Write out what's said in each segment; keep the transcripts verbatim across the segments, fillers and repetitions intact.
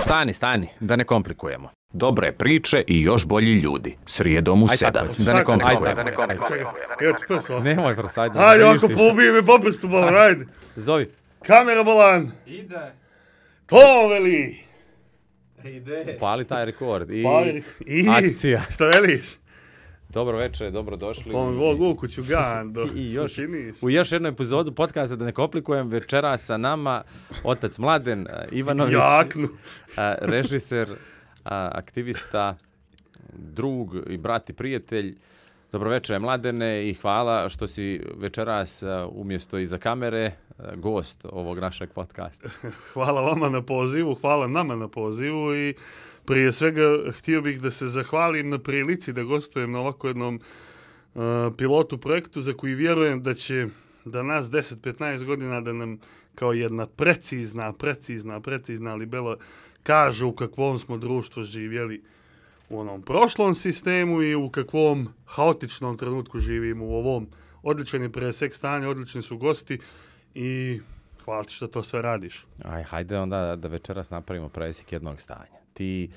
Stani, stani, da ne komplikujemo. Dobre priče i još bolji ljudi. Srijedom u sedam. Da ne komplikujemo. Da ne komplikujemo. Evo ti prso. Nemoj prosajdi. Ajde, ako poubije me po prstu, bolan, ajde. Zovi. Kamera, bolan. Ide. To veli. Ide. Pali taj rekord. I, Pali. I akcija. Šta veliš? Dobro večer, dobro došli. Pon Bog u kuću gando. I još, činiš? u još jednu epizodu podcasta Da ne komplikujem, večera sa nama otac Mladen Ivanović. Jaknu. Režiser, aktivista, drug i brat i prijatelj. Dobro večer, Mladene, i hvala što si večeras umjesto iza kamere gost ovog našeg podcasta. Hvala vama na pozivu, hvala nama na pozivu i prije svega htio bih da se zahvalim na prilici da gostujem na ovako jednom uh, pilotu projektu za koji vjerujem da će da nas deset do petnaest godina da nam kao jedna precizna, precizna, precizna libela kaže u kakvom smo društvu živjeli u onom prošlom sistemu i u kakvom haotičnom trenutku živimo u ovom. Odličan je presek stanja, odlični su gosti i hvala ti što to sve radiš. Aj, hajde onda da večeras napravimo presek jednog stanja. Ti,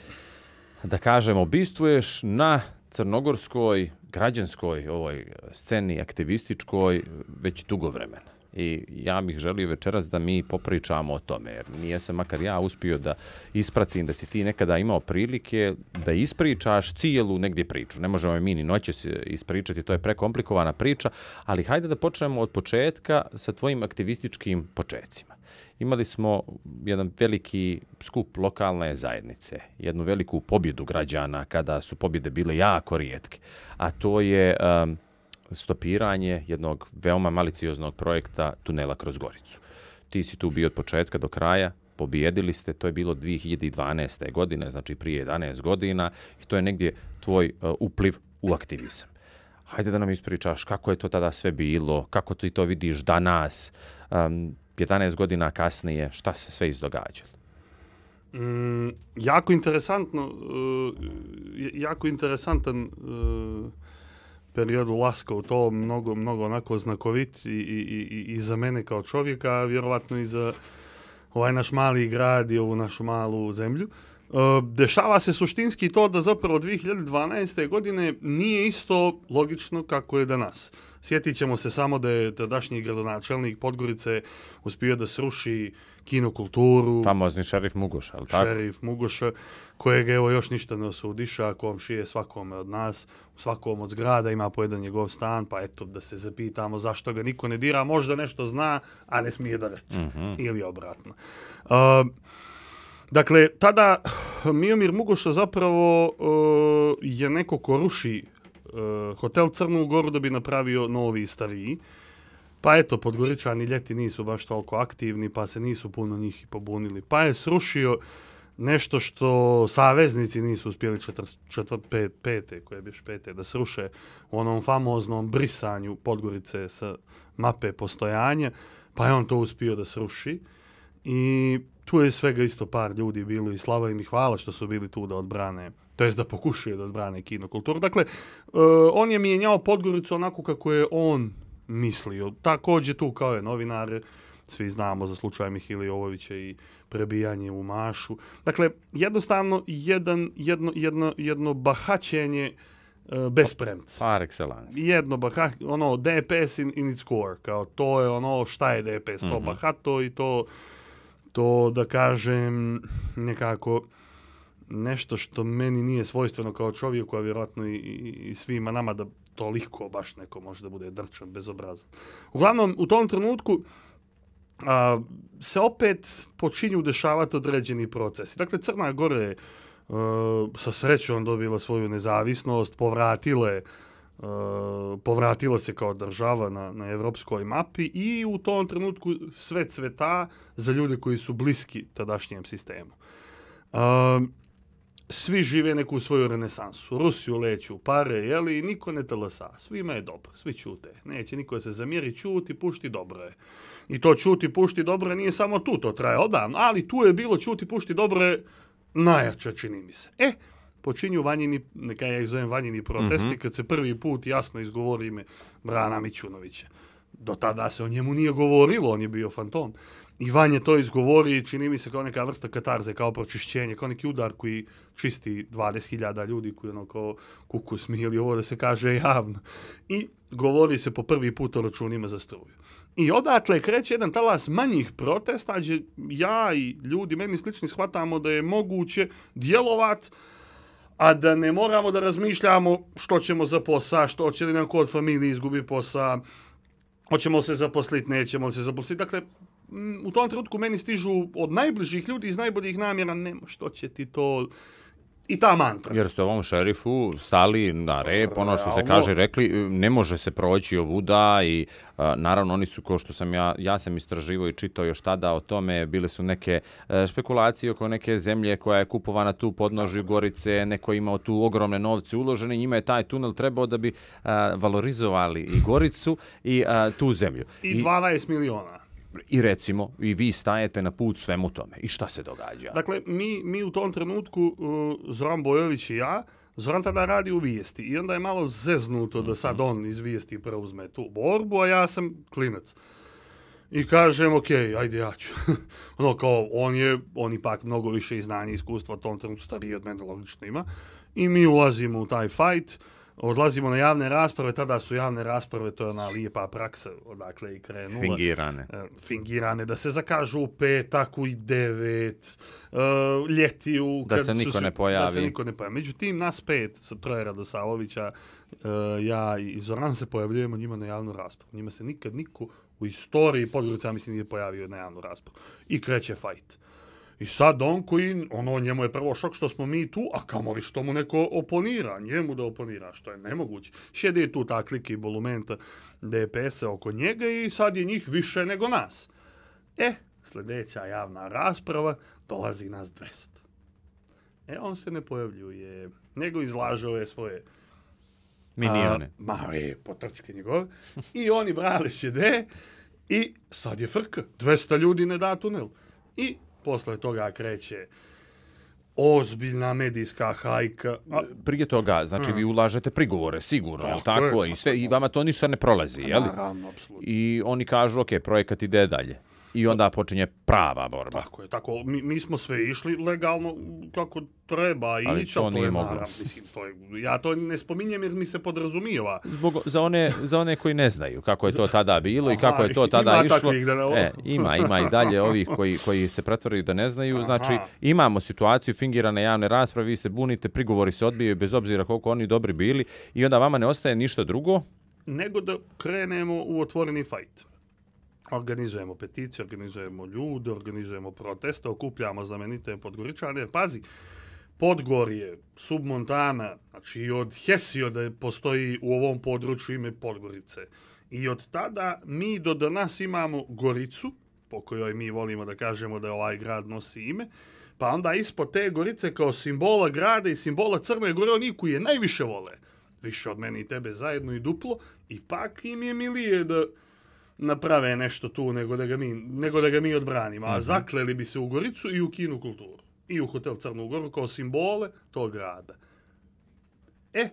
da kažemo, bistvuješ na crnogorskoj, građanskoj ovoj sceni, aktivističkoj, već dugo vremena. I ja bih želio večeras da mi popričamo o tome, jer nije se makar ja uspio da ispratim da si ti nekada imao prilike da ispričaš cijelu negdje priču. Ne možemo mi ni noćas ispričati, to je prekomplikovana priča, ali hajde da počnemo od početka sa tvojim aktivističkim počecima. Imali smo jedan veliki skup lokalne zajednice, jednu veliku pobjedu građana kada su pobjede bile jako rijetke, a to je um, stopiranje jednog veoma malicioznog projekta tunela kroz Goricu. Ti si tu bio od početka do kraja, pobijedili ste, to je bilo dvije hiljade dvanaeste. godine, znači prije jedanaest godina, i to je negdje tvoj uh, upliv u aktivizam. Hajde da nam ispričaš kako je to tada sve bilo, kako ti to vidiš danas, um, jedanaest godina kasnije, šta se sve izdogađalo? Mm, jako interesantno, uh, jako interesantan uh, period ulaska u to, mnogo, mnogo onako znakovit i, i, i, i za mene kao čovjeka, a vjerovatno i za ovaj naš mali grad i ovu našu malu zemlju. Uh, dešava se suštinski to da zapravo dvije hiljade dvanaeste. godine nije isto logično kako je danas. Sjetit ćemo se samo da je tadašnji gradonačelnik Podgorice uspio da sruši kinokulturu. Famozni šerif Mugoša, ali tako? Šerif Mugoša, kojeg evo još ništa ne osudiša, komšije svakome od nas, u svakom od zgrada ima po jedan njegov stan, pa eto da se zapitamo zašto ga niko ne dira, možda nešto zna, a ne smije da reče. Mm-hmm. Ili obratno. Uh, dakle, tada Miomir Mugoša zapravo uh, je neko ko ruši Uh, hotel Crnu Goru da bi napravio novi i stariji. Pa eto, Podgoričani ljeti nisu baš toliko aktivni, pa se nisu puno njih i pobunili. Pa je srušio nešto što saveznici nisu uspjeli četvrt pet, pete, koje biš pete, da sruše u onom famoznom brisanju Podgorice sa mape postojanja, pa je on to uspio da sruši. I tu je svega isto par ljudi bilo i slava im i hvala što su bili tu da odbrane, to jest da pokušaju da odbrane kinokulturu. Dakle, uh, on je mijenjao Podgoricu onako kako je on mislio. Također tu kao je novinar, svi znamo za slučaj Mihile Jovovića i prebijanje u Mašu. Dakle, jednostavno jedan, jedno, jedno, jedno bahaćenje uh, bez premca. Par excellence. Jedno bahat, ono D P S in, in its core, kao to je ono šta je D P S, mm-hmm. to bahato i to, to da kažem nekako nešto što meni nije svojstveno kao čovjeku, a vjerojatno i, i, i svima nama da toliko baš neko može da bude drčan, bezobrazan. Uglavnom, u tom trenutku a, se opet počinju dešavati određeni procesi. Dakle, Crna Gora je a, sa srećom dobila svoju nezavisnost, povratile, a, povratila se kao država na, na evropskoj mapi i u tom trenutku sve cveta za ljude koji su bliski tadašnjem sistemu. A, Svi žive neku svoju renesansu. Rusiju leću pare, jeli, niko ne talasa. Svima je dobro, svi čute. Neće niko se zamjeri, čuti, pušti, dobro je. I to čuti, pušti, dobro je nije samo tu, to traje odavno, ali tu je bilo čuti, pušti, dobro je najjače, čini mi se. E, počinju vanjini, neka ja ih zovem vanjini protesti, mm-hmm. kad se prvi put jasno izgovori ime Brana Mićunovića. Do tada se o njemu nije govorilo, on je bio fantom. Ivan je to izgovori, čini mi se kao neka vrsta katarze, kao pročišćenje, kao neki udar koji čisti dvadeset hiljada ljudi koji ono kao kuku smijeli ovo da se kaže javno. I govori se po prvi put o računima za struju. I odatle kreće jedan talas manjih protesta, gdje ja i ljudi meni slični shvatamo da je moguće djelovat, a da ne moramo da razmišljamo što ćemo za posao, što će li nam kod familije izgubi posao, hoćemo se zaposliti, nećemo se zaposliti. Dakle, u tom trenutku meni stižu od najbližih ljudi iz najboljih namjera, nema što će ti to... I ta mantra. Jer ste ovom šerifu stali na rep, ono što se kaže, rekli, ne može se proći ovuda i a, naravno oni su, ko što sam ja, ja sam istraživao i čitao još tada o tome, bile su neke a, špekulacije oko neke zemlje koja je kupovana tu podnožju Gorice, neko je imao tu ogromne novce uložene, njima je taj tunel trebao da bi a, valorizovali i Goricu i a, tu zemlju. I dvanaest miliona. I recimo, i vi stajete na put svemu tome. I šta se događa? Dakle, mi, mi u tom trenutku, uh, Zoran Bojović i ja, Zoran tada radi u vijesti i onda je malo zeznuto da sad on iz vijesti preuzme tu borbu, a ja sam klinac. I kažem, ok, ajde ja ću. ono kao, on je, on ipak mnogo više i znanja i iskustva u tom trenutku stariji od mene, logično ima. I mi ulazimo u taj fight. Odlazimo na javne rasprave, tada su javne rasprave, to je ona lijepa praksa, odakle i krenula. Fingirane. Fingirane, da se zakažu u petak, u devet, uh, ljeti u... Da se niko ne pojavi. Da se niko ne pojavi. Međutim, nas pet, sa troje Radosavovića, uh, ja i Zoran se pojavljujemo njima na javnu raspravu. Njima se nikad niko u istoriji Podgorica, mislim, nije pojavio na javnu raspravu. I kreće fajt. I sad on koji, ono, njemu je prvo šok što smo mi tu, a kamoli što mu neko oponira, njemu da oponira, što je nemoguće. Šede tu ta klika i bolumenta D P S-a oko njega i sad je njih više nego nas. E, sljedeća javna rasprava, dolazi nas dvesta. E, on se ne pojavljuje, nego izlažao je svoje Minione. A, ma, je, potrčke njegove. I oni brali šede i sad je frka. dvesta ljudi ne da tunel. I posle toga kreće ozbiljna medijska hajka. A, prije toga, znači hmm. vi ulažete prigovore, sigurno, je li tako? tako? Je, I, sve, I vama to ništa ne prolazi, je li? Naravno, apsolutno. I oni kažu, ok, projekat ide dalje. I onda počinje prava borba. Tako je, tako. Mi, mi smo sve išli legalno kako treba ići, ali to nije moglo. Naravno, mislim, to je, ja to ne spominjem jer mi se podrazumijeva. Zbog, za, one, za one koji ne znaju kako je to tada bilo i Aha, kako je to tada ima išlo. Takvih da ne... E, ima, ima i dalje ovih koji, koji se pretvaraju da ne znaju. Aha. Znači, imamo situaciju fingirane javne rasprave, vi se bunite, prigovori se odbijaju bez obzira koliko oni dobri bili i onda vama ne ostaje ništa drugo. Nego da krenemo u otvoreni fajt. Organizujemo peticije, organizujemo ljude, organizujemo proteste, okupljamo znamenite Podgoričane. Pazi, Podgorje, submontana, znači i od Hesioda postoji u ovom području ime Podgorice. I od tada mi do danas imamo Goricu, po kojoj mi volimo da kažemo da ovaj grad nosi ime, pa onda ispod te Gorice kao simbola grada i simbola Crne Gore, oni koji je najviše vole, više od mene i tebe zajedno i duplo, ipak im je milije da naprave nešto tu nego da ga mi, nego da ga mi odbranimo. A zakleli bi se u Goricu i u Kinu kulturu. I u hotel Crnu Goru kao simbole tog grada. E,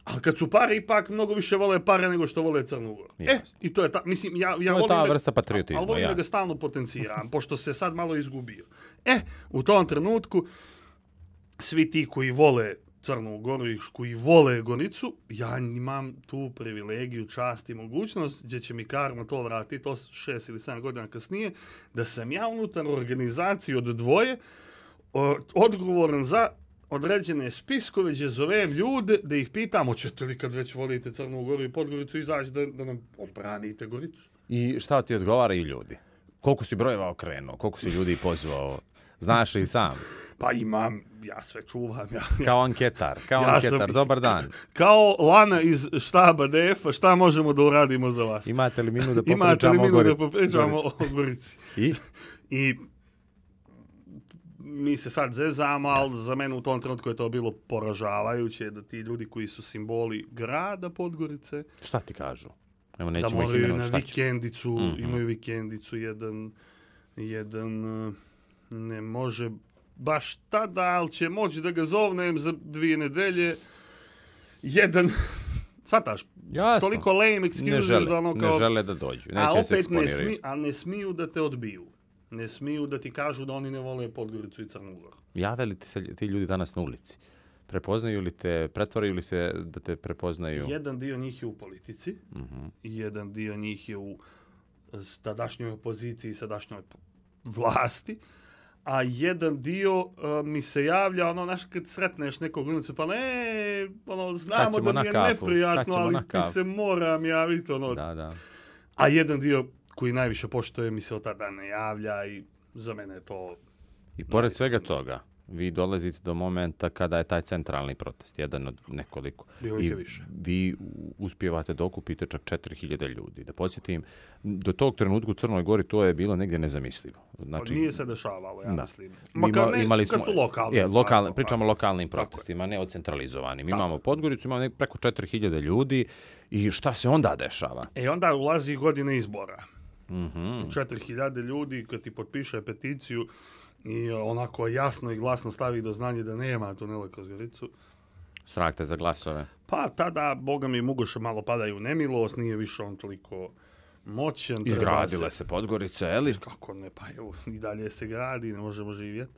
ali kad su pare, ipak mnogo više vole pare nego što vole Crnu Goru. E, i to je ta, mislim, ja, ja volim, ta da, vrsta patriotizma, ali volim da ga stalno potenciram, pošto se sad malo izgubio. E, u tom trenutku, svi ti koji vole Crnu Goru i koji vole Goricu, ja imam tu privilegiju, čast i mogućnost, gdje će mi karma to vratiti, to šest ili sedam godina kasnije, da sam ja unutar organizacije od dvoje o, odgovoran za određene spiskove, gdje zovem ljude da ih pitam, hoćete li kad već volite Crnu Goru i Podgoricu izaći da, da nam odbranite Goricu? I šta ti odgovaraju ljudi? Koliko si brojeva okrenuo? Koliko si ljudi pozvao? Znaš li sam? Pa imam, ja sve čuvam. Ja, kao anketar, kao ja anketar, sam, dobar dan. Kao Lana iz štaba D F-a, šta možemo da uradimo za vas? Imate li minu da Imate li popričamo minu o da popričamo o Gorici? I? I mi se sad zezamo, ali za mene u tom trenutku je to bilo poražavajuće da ti ljudi koji su simboli grada Podgorice, šta ti kažu? Evo, da moraju na vikendicu, mm-hmm. imaju vikendicu, jedan, jedan ne može baš tada, ali će moći da ga zovnem za dvije nedelje. Jedan Svataš, Jasno. toliko lame Ne excuses žele, da ono kao... ne žele da dođu. a Neće se opet ne, eksponiraju. smi, a ne smiju da te odbiju. Ne smiju da ti kažu da oni ne vole Podgoricu i Crnu Goru. Jave li ti se ti ljudi danas na ulici? Prepoznaju li te, pretvaraju li se da te prepoznaju? Jedan dio njih je u politici, Mhm. i jedan dio njih je u s- tadašnjoj opoziciji i sadašnjoj p- vlasti, a jedan dio uh, mi se javlja, ono, znaš, kad sretneš nekog ulicu, pa ne, ono, znamo ćemo da na mi je kafu, kad neprijatno, ćemo ali na ti kafu. se moram javiti, ono. Da, da. A jedan dio koji najviše poštuje mi se od tada ne javlja i za mene je to... I pored svega toga, vi dolazite do momenta kada je taj centralni protest, jedan od nekoliko. Bilo ih I je više. vi uspijevate da okupite čak četiri hiljade ljudi. Da podsjetim, do tog trenutka u Crnoj Gori to je bilo negdje nezamislivo. Znači, nije se dešavalo, ja da. mislim. Mi Makar ima- ne, imali kad smo, su lokalne je, stvari, lokalne, pa- pričamo o lokalnim Tako je. protestima, ne o centralizovanim. Tako Imamo je. Podgoricu, imamo nek- preko četiri hiljade ljudi i šta se onda dešava? E onda ulazi godine izbora. Mhm. četiri hiljade ljudi kad ti potpiše peticiju i onako jasno i glasno stavi do znanja da nema tunela kroz Goricu, Strah te za glasove. pa tada, boga mi, Mugoša malo padaju u nemilost, nije više on toliko moćan. treba Izgradile se Podgorica, je li? Kako ne, pa evo, i dalje se gradi, ne možemo živjeti.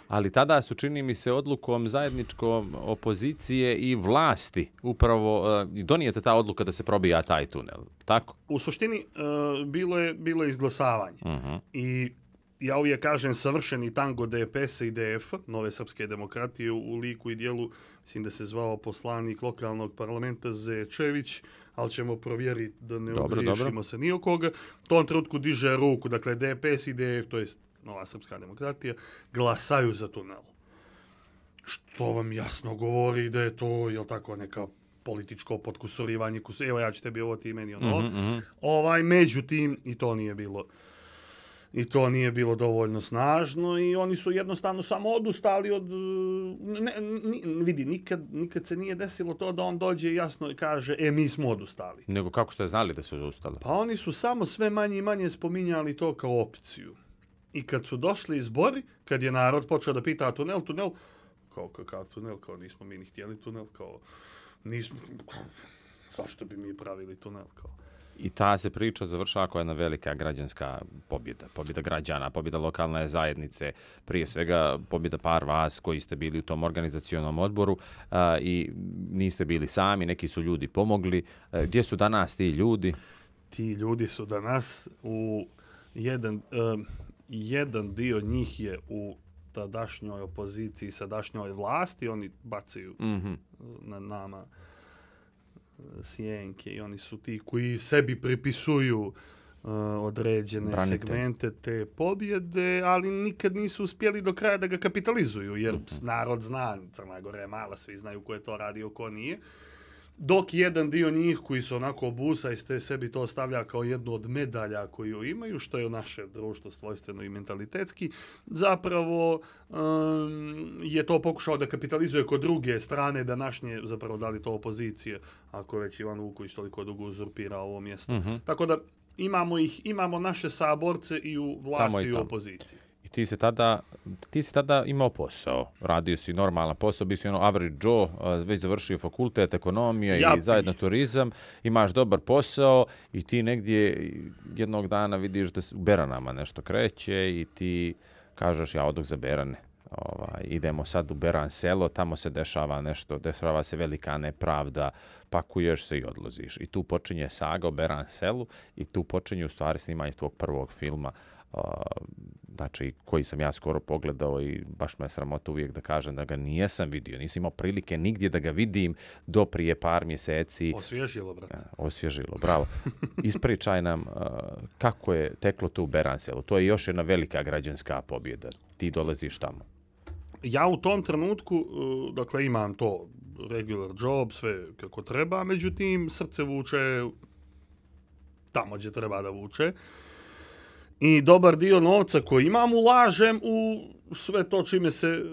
Ali tada su, čini mi se, odlukom zajedničkom opozicije i vlasti upravo uh, donijete ta odluka da se probija taj tunel. Tako? U suštini, e, bilo je, bilo je izglasavanje. Mhm. I ja uvijek kažem savršeni tango D P S i D F, Nove srpske demokratije, u liku i dijelu, mislim da se zvao poslanik lokalnog parlamenta Zečević, ali ćemo provjeriti da ne Dobro, ogriješimo dobro. se ni o koga. U tom trenutku diže ruku, dakle D P S i D F, to jest Nova srpska demokratija, glasaju za tunel. Što vam jasno govori da je to, jel tako, neka političko potkusurivanje, kus- evo ja ću tebi ovo, ti meni ono. Mhm, mhm. Ovaj, međutim, i to nije bilo i to nije bilo dovoljno snažno i oni su jednostavno samo odustali od... Ne, ni, vidi, nikad, nikad se nije desilo to da on dođe i jasno kaže, e, mi smo odustali. Nego kako ste znali da su zaustali? Pa oni su samo sve manje i manje spominjali to kao opciju. I kad su došli izbori, kad je narod počeo da pita tunel, tunel, kao kakav tunel, kao nismo mi ni htjeli tunel, kao nismo, kao, zašto bi mi pravili tunel, kao. I ta se priča završava kao jedna velika građanska pobjeda. Pobjeda građana, pobjeda lokalne zajednice, prije svega pobjeda par vas koji ste bili u tom organizacionom odboru a, i niste bili sami, neki su ljudi pomogli. A, gdje su danas ti ljudi? Ti ljudi su danas u jedan, um, jedan dio njih je u tadašnjoj opoziciji, sadašnjoj vlasti, oni bacaju Mhm. na nama sjenke i oni su ti koji sebi pripisuju uh, određene Branitelj. segmente te pobjede, ali nikad nisu uspjeli do kraja da ga kapitalizuju, jer Mhm. narod zna, Crna Gora je mala, svi znaju ko je to radio, ko nije. Dok jedan dio njih koji su onako busa i ste sebi to stavlja kao jednu od medalja koju imaju, što je naše društvo svojstveno i mentalitetski, zapravo um, je to pokušao da kapitalizuje kod druge strane današnje, zapravo da li to opozicije, ako je već Ivan Vuković toliko dugo uzurpira ovo mjesto. Mhm. Tako da imamo ih, imamo naše saborce i u vlasti Tamo i i u tamo. opoziciji. I ti si tada, ti si tada imao posao, radio si normalan posao, bio si ono average Joe, a, već završio fakultet, ekonomija Ja i zajedno turizam, imaš dobar posao i ti negdje jednog dana vidiš da se u Beranama nešto kreće i ti kažeš ja odok za Berane. Ovaj, idemo sad u Beran selo, tamo se dešava nešto, dešava se velika nepravda, pakuješ se i odlaziš. I tu počinje saga o Beran selu i tu počinje u stvari snimanje tvog prvog filma, uh, znači koji sam ja skoro pogledao i baš me je sramota uvijek da kažem da ga nijesam vidio, nisam imao prilike nigdje da ga vidim do prije par mjeseci. Osvježilo, brate. Osvježilo, bravo. Ispričaj nam uh, kako je teklo to u Beran selu. To je još jedna velika građanska pobjeda. Ti dolaziš tamo. Ja u tom trenutku, uh, dakle, imam to regular job, sve kako treba, međutim, srce vuče tamo gdje treba da vuče. I dobar dio novca koji imam ulažem u sve to čime se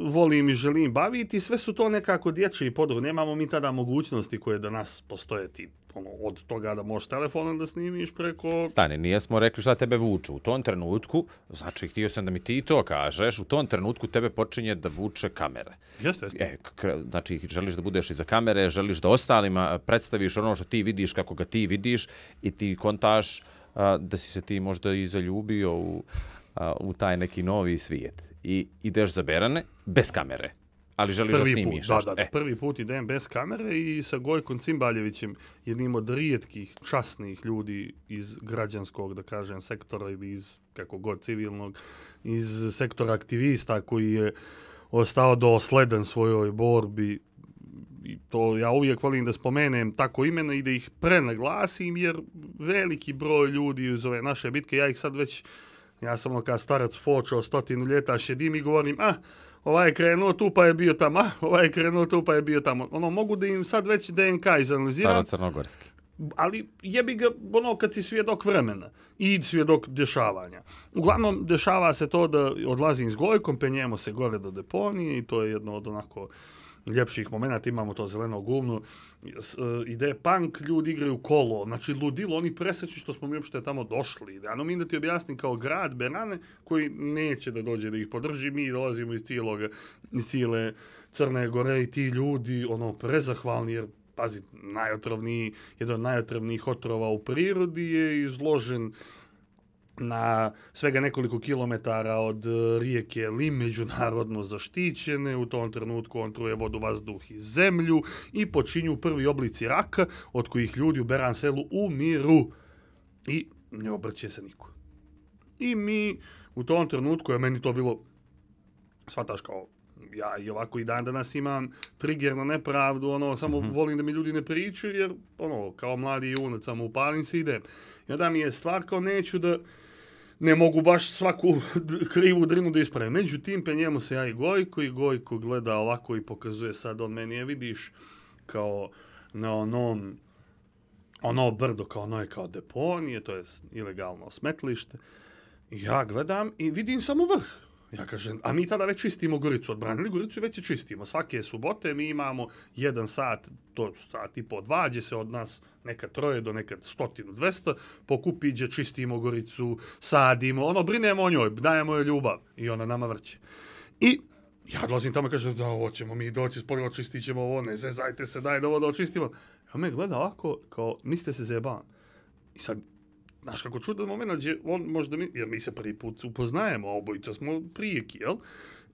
volim i želim baviti. Sve su to nekako dječji podrug. Nemamo mi tada mogućnosti koje danas postoje ti ono, od toga da možeš telefonom da snimiš preko... Stani, nijesmo rekli šta tebe vuče. U tom trenutku, znači htio sam da mi ti to kažeš, u tom trenutku tebe počinje da vuče kamere. Jeste, jeste. E, k- znači, želiš da budeš iza kamere, želiš da ostalima predstaviš ono što ti vidiš kako ga ti vidiš i ti kontaš a, da si se ti možda i zaljubio u, a, u taj neki novi svijet. I ideš za Berane bez kamere. Ali želiš Prvi da put, snimiš da, nešto. da, da, E, prvi put idem bez kamere i sa Gojkom Cimbaljevićem, jednim od rijetkih časnih ljudi iz građanskog, da kažem, sektora ili iz, kako god, civilnog, iz sektora aktivista koji je ostao dosledan svojoj borbi. I to ja uvijek volim da spomenem tako imena i da ih prenaglasim, jer veliki broj ljudi iz ove naše bitke, ja ih sad već, ja sam ono kao starac fočao stotinu ljeta, šedim i govorim, ah, ovaj je krenuo tu pa je bio tamo, ah, ovaj je krenuo tu pa je bio tamo. Ono, mogu da im sad već D N K izanaliziram, staro-crnogorski. ali jebi ga ono kad si svjedok vremena i svjedok dešavanja. Uglavnom, dešava se to da odlazim s Gojkom, penjemo se gore do deponije i to je jedno od onako ljepših momenata, imamo to zeleno gumno, ide punk, ljudi igraju kolo, znači ludilo, oni presrećni što smo mi uopšte tamo došli. Ano mi da ti objasnim kao grad Berane koji neće da dođe da ih podrži, mi dolazimo iz cijelog, iz cijele Crne Gore i ti ljudi, ono, prezahvalni, jer pazi, najotrovniji, jedan od najotrovnijih otrova u prirodi je izložen na svega nekoliko kilometara od rijeke Lim, međunarodno zaštićene. U tom trenutku on truje vodu, vazduh i zemlju i počinju prvi oblici raka od kojih ljudi u Beran selu umiru i ne obrće se niko. I mi u tom trenutku, je meni to bilo, shvataš kao, ja i ovako i dan danas imam trigger na nepravdu, ono, samo mm-hmm. volim da mi ljudi ne pričaju, jer, ono, kao mladi junac, samo upalim se i idem. I onda mi je stvar kao neću da, ne mogu baš svaku krivu drinu da ispravim. Međutim, penjemo se ja i Gojko i Gojko gleda ovako i pokazuje sad, on meni je vidiš kao na onom, ono brdo, kao ono je kao deponije, to je ilegalno smetlište. I ja gledam i vidim samo vrh. Ja kažem, a mi tada već čistimo Goricu, odbranili Goricu i već je čistimo. Svake subote mi imamo jedan sat, to sat i po dva, gdje se od nas nekad troje do nekad stotinu, dvesta, pokupi gdje čistimo Goricu, sadimo, ono, brinemo o njoj, dajemo joj ljubav i ona nama vrće. I ja dolazim tamo i kažem, da, ovo ćemo mi doći, spolje očistit ćemo ovo, ne zezajte se, daj da ovo da očistimo. A me gleda ovako, kao, mislite se zajebam. I sad, znaš kako čudan moment, gdje on možda mi, jer mi se prvi put upoznajemo, a obojica smo prijeki, jel?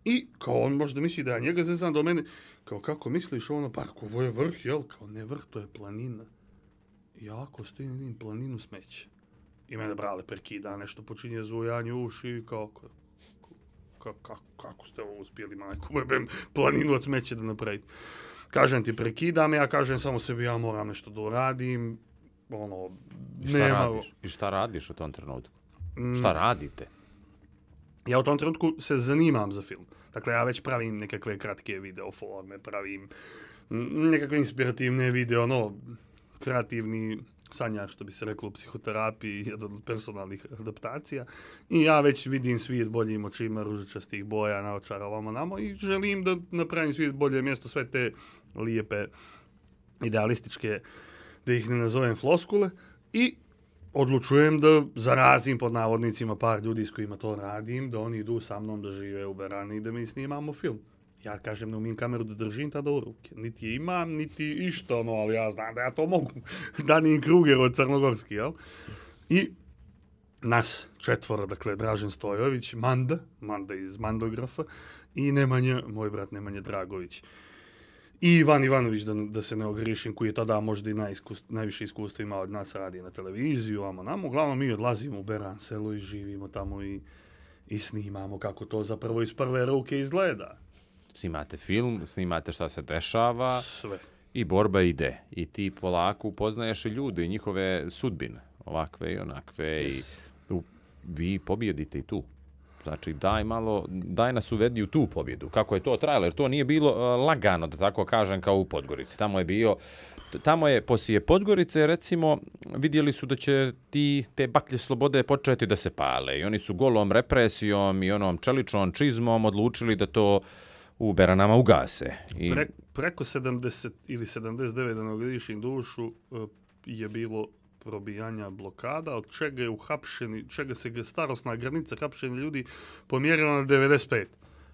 I kao on možda misli da ja njega zezam do mene, kao kako misliš ono, pa ovo je vrh, jel? Kao ne vrh, to je planina. I ja ako stojim vidim planinu smeća. I mene brale prekida, nešto počinje zujanje u uši, kao, kao, kao, kako ste ovo uspjeli, majku, bebem, planinu od smeća da napraviti. Kažem ti, prekidam, ja kažem samo sebi, ja moram nešto da uradim, ono, I šta nema... radiš? I šta radiš u tom trenutku? Mm. Šta radite? Ja u tom trenutku se zanimam za film. Dakle, ja već pravim nekakve kratke video forme, pravim nekakve inspirativne video, ono, kreativni sanjar, što bi se reklo u psihoterapiji, jedan od personalnih adaptacija. I ja već vidim svijet boljim očima, ružičastih boja, naočara ovamo namo i želim da napravim svijet bolje mjesto, sve te lijepe, idealističke, da ih ne nazovem floskule, i odlučujem da zarazim pod navodnicima par ljudi s kojima to radim, da oni idu sa mnom da žive u Berani i da mi snimamo film. Ja kažem, ne umijem kameru da držim tada u ruke. Niti je imam, niti išta, ono, ali ja znam da ja to mogu. Danin Kruger od Crnogorski, jel? I nas četvora, dakle, Dražen Stojović, Manda, Manda iz Mandografa, i Nemanja, moj brat Nemanja Dragović. I Ivan Ivanović, da, da se ne ogrišim, koji je tada možda i najiskus, najviše iskustva imao od nas, radi na televiziju, amo namo. Uglavnom mi odlazimo u Beran selo i živimo tamo i, i snimamo kako to zapravo iz prve ruke izgleda. Snimate film, snimate šta se dešava. Sve. I borba ide. I ti polako upoznaješ i ljude i njihove sudbine, ovakve i onakve. Yes. I u, vi pobjedite i tu. Znači, daj malo, daj nas uvedi u tu pobjedu. Kako je to trajalo? Jer to nije bilo uh, lagano, da tako kažem, kao u Podgorici. Tamo je bio, tamo je, poslije Podgorice, recimo, vidjeli su da će ti, te baklje slobode početi da se pale. I oni su golom represijom i onom čeličnom čizmom odlučili da to u Beranama ugase. I... Pre, preko sedamdeset ili sedamdeset devet, da ne ogrešim dušu, je bilo probijanja blokada, od čega je uhapšeni, čega se starosna granica hapšenja ljudi pomjerila na devedeset pet.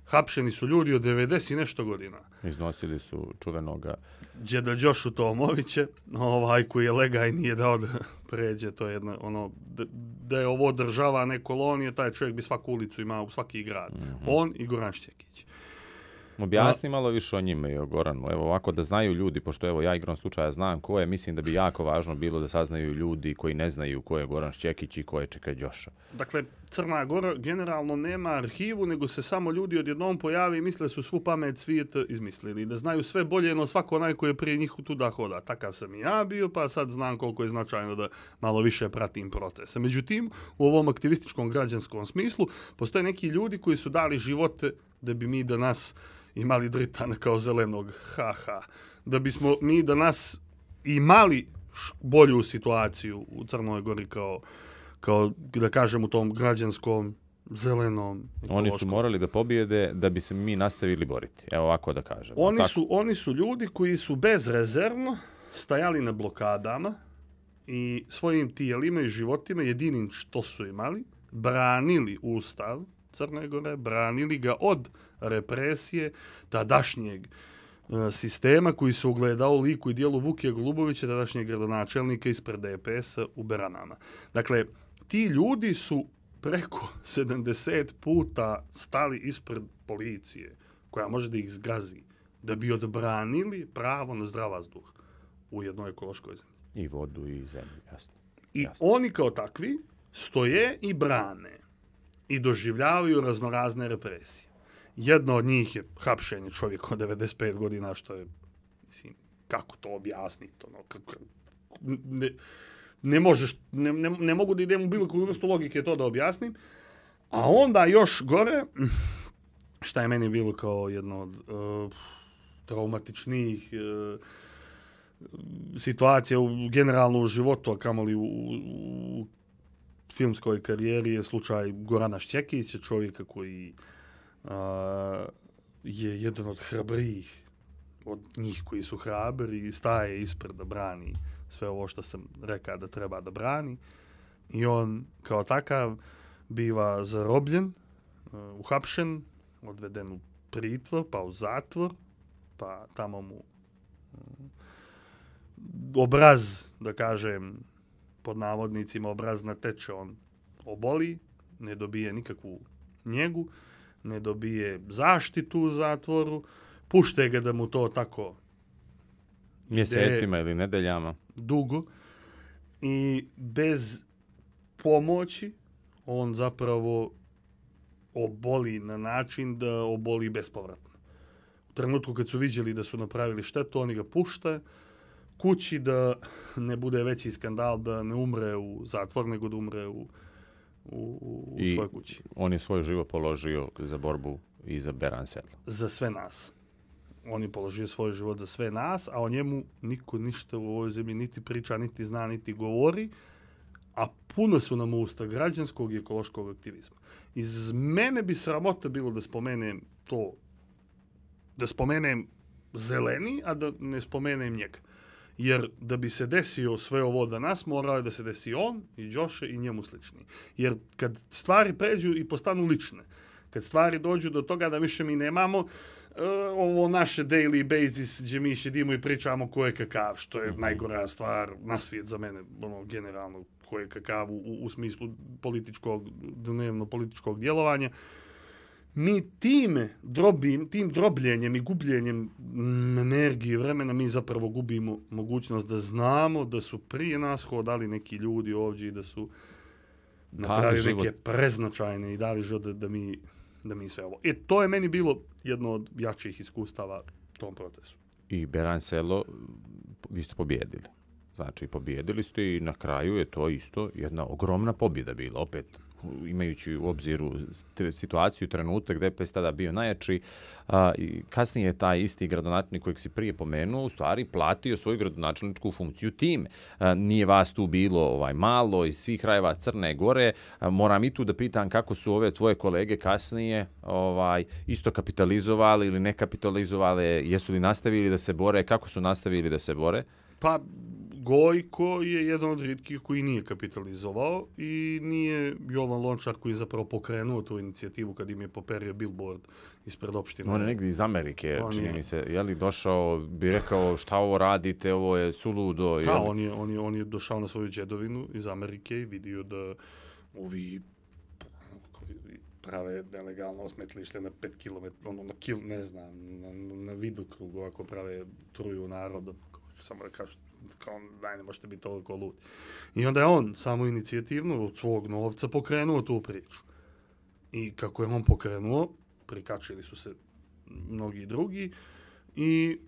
Hapšeni su ljudi od devedeset i nešto godina. Iznosili su čuvenoga Đeda Đošu Tomoviće, ovaj koji je lega i nije dao da pređe, to je jedno, ono, da, da je ovo država, ne kolonije, taj čovjek bi svaku ulicu imao u svaki grad. Mm-hmm. On i Goran Šćekić. Objasni malo više o njima i o Goranu. Evo ovako da znaju ljudi, pošto evo ja igrom slučaja znam ko je, mislim da bi jako važno bilo da saznaju ljudi koji ne znaju ko je Goran Šćekić i ko je Čeka Đoša. Dakle, Crna Gora generalno nema arhivu, nego se samo ljudi odjednom pojavi i misle su svu pamet svijeta izmislili. Da znaju sve bolje no svako onaj koji je prije njih tuda hoda. Takav sam i ja bio, pa sad znam koliko je značajno da malo više pratim procese. Međutim, u ovom aktivističkom građanskom smislu postoje neki ljudi koji su dali živote da bi mi danas imali Dritana kao zelenog, haha. Da bismo mi danas imali bolju situaciju u Crnoj Gori kao, kao da kažem, u tom građanskom, zelenom. Oni su morali da pobijede da bi se mi nastavili boriti. Evo ovako da kažem. Oni su, oni su ljudi koji su bezrezervno stajali na blokadama i svojim tijelima i životima, jedinim što su imali, branili Ustav Crne Gore, branili ga od represije tadašnjeg e, sistema koji se ugledao u liku i dijelu Vukija Golubovića, tadašnjeg gradonačelnika ispred D P S-a u Beranama. Dakle, ti ljudi su preko sedamdeset puta stali ispred policije, koja može da ih zgazi, da bi odbranili pravo na zdrav vazduh u jednoj ekološkoj zemlji. I vodu i zemlju, jasno. I jasno. oni kao takvi stoje i brane i doživljavaju raznorazne represije. Jedno od njih je hapšenje čovjeka od devedeset pet godina, što je, mislim, kako to objasniti, ono, kako, ne, ne možeš, ne, ne, ne mogu da idem u bilo koju vrstu logike to da objasnim, a onda još gore, šta je meni bilo kao jedno od uh, traumatičnijih uh, situacija u, generalno u životu, a kamoli u, u filmskoj karijeri, je slučaj Gorana Šćekića, čovjeka koji uh, je jedan od hrabrijih od njih koji su hrabri i staje ispred da brani sve ovo što sam rekao da treba da brani. I on kao takav biva zarobljen, uh, uhapšen, odveden u pritvor, pa u zatvor, pa tamo mu uh, obraz, da kažem, pod navodnicima obraz nateče, on oboli, ne dobije nikakvu njegu, ne dobije zaštitu u zatvoru, pušte ga da mu to tako mjesecima ili nedeljama dugo i bez pomoći on zapravo oboli na način da oboli bespovratno. U trenutku kad su vidjeli da su napravili štetu, oni ga pušte kući da ne bude veći skandal, da ne umre u zatvor, nego da umre u, u, u svojoj kući. On je svoj život položio za borbu i za Beran Sedlo. Za sve nas. On je položio svoj život za sve nas, a o njemu niko ništa u ovoj zemlji niti priča, niti zna, niti govori, a puno su nam usta građanskog i ekološkog aktivizma. Iz mene bi sramota bilo da spomenem to, da spomenem zeleni, a da ne spomenem njega. Jer da bi se desio sve ovo danas, morao je da se desi on i Đoše i njemu slični. Jer kad stvari pređu i postanu lične, kad stvari dođu do toga da više mi nemamo uh, ovo naše daily basis gdje mi šedimo i pričamo ko je kakav, što je najgora stvar na svijet za mene, ono, generalno, ko je kakav u, u smislu političkog, dnevno političkog djelovanja. Mi time, drobim, tim drobljenjem i gubljenjem energije i vremena, mi zapravo gubimo mogućnost da znamo da su prije nas hodali neki ljudi ovdje i da su napravili neke preznačajne i dali život da, da, mi, da mi sve ovo. E, to je meni bilo jedno od jačih iskustava u tom procesu. I Beran Selo, vi ste pobjedili. Znači, pobjedili ste i na kraju je to isto jedna ogromna pobjeda bila, opet imajući u obziru situaciju, trenutak, D P S tada bio najjači, a, i kasnije je taj isti gradonačelnik kojeg si prije pomenuo, u stvari platio svoju gradonačelničku funkciju time. A, nije vas tu bilo ovaj malo iz svih krajeva Crne Gore. A, moram i tu da pitam kako su ove tvoje kolege kasnije ovaj isto kapitalizovali ili ne kapitalizovali, jesu li nastavili da se bore, kako su nastavili da se bore? Pa, Gojko je jedan od rijetkih koji nije kapitalizovao i nije Jovan Lončar koji je zapravo pokrenuo tu inicijativu kad im je poperio billboard ispred opštine. On je negdje iz Amerike, On čini je. mi se. Je li došao, bi rekao šta ovo radite, ovo je suludo. Da, je li- on je, on, je, on je došao na svoju džedovinu iz Amerike i vidio da ovi koji prave nelegalno smetlište na pet kilometara, ono na kil, ne znam, na, na vidokrugu ako prave truju naroda, samo da kažu, kao, daj, ne možete biti toliko ludi. I onda je on samo inicijativno od svog novca pokrenuo tu priču. I kako je on pokrenuo, prikačili su se mnogi drugi i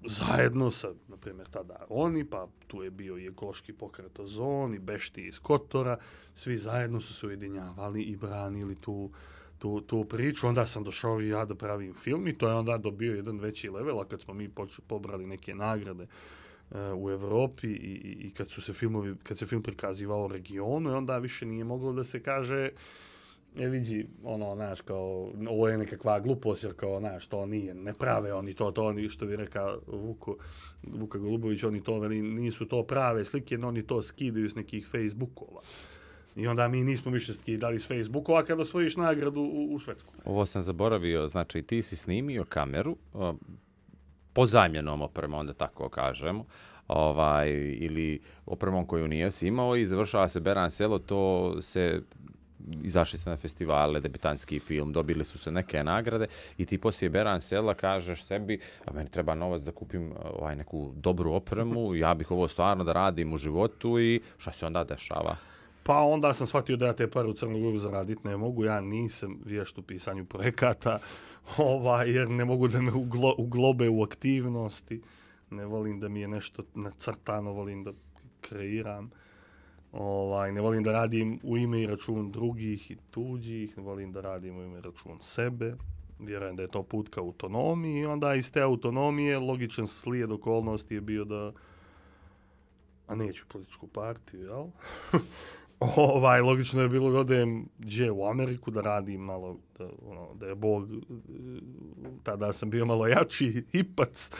zajedno sa, na primjer, tada oni, pa tu je bio i ekološki pokret Ozon i Bešti iz Kotora, svi zajedno su se ujedinjavali i branili tu, tu, tu priču. Onda sam došao i ja da pravim film i to je onda dobio jedan veći level, a kad smo mi poč- pobrali neke nagrade uh, u Evropi i, i, i kad su se filmovi, kad se film prikazivao u regionu, i onda više nije moglo da se kaže e vidi, ono, znaš, kao, ovo je nekakva glupost, jer kao, znaš, to nije, ne prave oni to, to oni, što bi rekao Vuko, Vuka Golubović, oni to, veli, nisu to prave slike, no oni to skidaju s nekih Facebookova. I onda mi nismo više skidali s Facebookova kada osvojiš nagradu u, u Švedsku. Ovo sam zaboravio, znači ti si snimio kameru, o, pozajmljenom opremom, onda tako kažemo, ovaj, ili opremom koju nije si imao i završava se Beran selo, to se izašli ste na festivale, debitanski film, dobili su se neke nagrade i ti poslije Beran sela kažeš sebi, a meni treba novac da kupim ovaj, neku dobru opremu, ja bih ovo stvarno da radim u životu i šta se onda dešava? Pa onda sam shvatio da ja te pare u Crnu Goru zaraditi ne mogu, ja nisam vješt u pisanju projekata, ovaj, jer ne mogu da me uglo, uglobe u aktivnosti, ne volim da mi je nešto nacrtano, volim da kreiram. Ovaj, ne volim da radim u ime i račun drugih i tuđih, ne volim da radim u ime i račun sebe. Vjerujem da je to put ka autonomiji i onda iz te autonomije logičan slijed okolnosti je bio da, a neću političku partiju, jel? ovaj, logično je bilo da odem gdje u Ameriku, da radim malo, da, ono, da je Bog, tada sam bio malo jači hipac,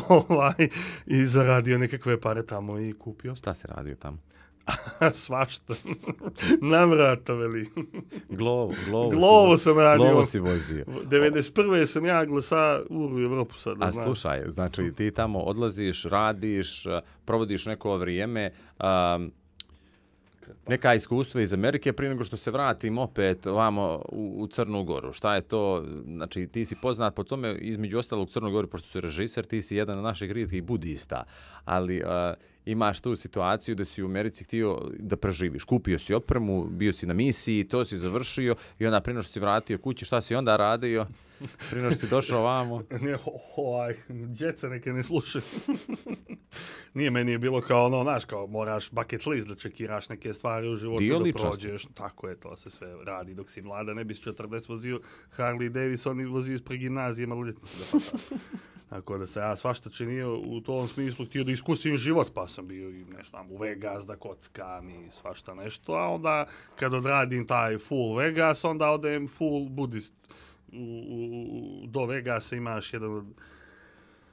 ovaj, i zaradio nekakve pare tamo i kupio. Šta si radio tamo? Svašta. Navrata, veli. Glovo, glovo, Glovo si, sam radio. Glovo si vozio. devedeset prve sam ja glasa u Evropu sad, da A znaš. slušaj, znači ti tamo odlaziš, radiš, provodiš neko vrijeme, um, neka iskustva iz Amerike prije nego što se vratim opet vamo u, u Crnu Goru. Šta je to? Znači, ti si poznat po tome, između ostalog u Crnoj Gori, pošto si režiser, ti si jedan od naših rijetkih budista, ali uh, imaš tu situaciju da si u Americi htio da preživiš. Kupio si opremu, bio si na misiji, to si završio i onda prije nego što si vratio kući, šta si onda radio? Prije nego što si došao vamo? Ne, ovaj, djeca neke ne slušaju. Nije, meni je bilo kao ono, znaš, kao moraš bucket list da čekiraš neke stvari u životu Dio da ličnosti. prođeš. Tako je, to se sve radi dok si mlada. Ne bi s četrdeset vozio Harley Davidson i vozio ispred gimnazije maloljetnice da pa tako. Tako da se ja svašta činio u tom smislu, htio da iskusim život, pa sam bio i ne znam, u Vegas da kockam i svašta nešto, a onda kad odradim taj full Vegas, onda odem full budist. U, u, do Vegasa imaš jedan od,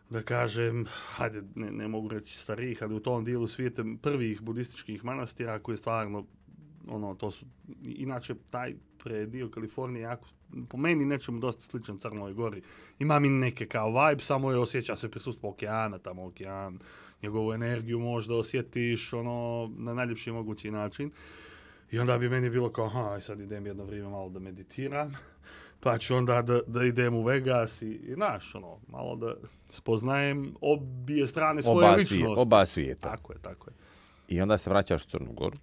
da kažem, hajde, ne, ne mogu reći starijih, ali u tom dijelu svijeta prvih budističkih manastira koji je stvarno, ono, to su, inače taj predio Kalifornije jako, po meni nečemu dosta sličan Crnoj Gori. Ima mi neke kao vibe, samo je osjeća se prisustvo okeana, tamo okean, njegovu energiju možda osjetiš, ono, na najljepši mogući način. I onda bi meni bilo kao, aha, sad idem jedno vrijeme malo da meditiram, pa ću onda da, da idem u Vegas i, i naš, ono, malo da spoznajem obje strane svoje Oba, ličnosti. svije, oba svijeta. Tako je, tako je. I onda se vraćaš u Crnu Goru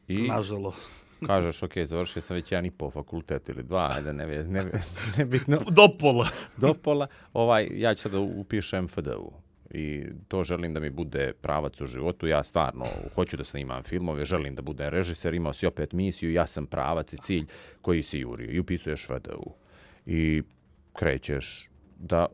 i Nažalost. kažeš, ok, završio sam već jedan i pol fakultet ili dva, ajde, ne, ne, ne, nebitno, Do pola. do pola. Ovaj, ja ću sada upišem F D U i to želim da mi bude pravac u životu. Ja stvarno hoću da snimam filmove, želim da budem režiser, imao si opet misiju, ja sam pravac i cilj koji si jurio i upisuješ F D U. I krećeš da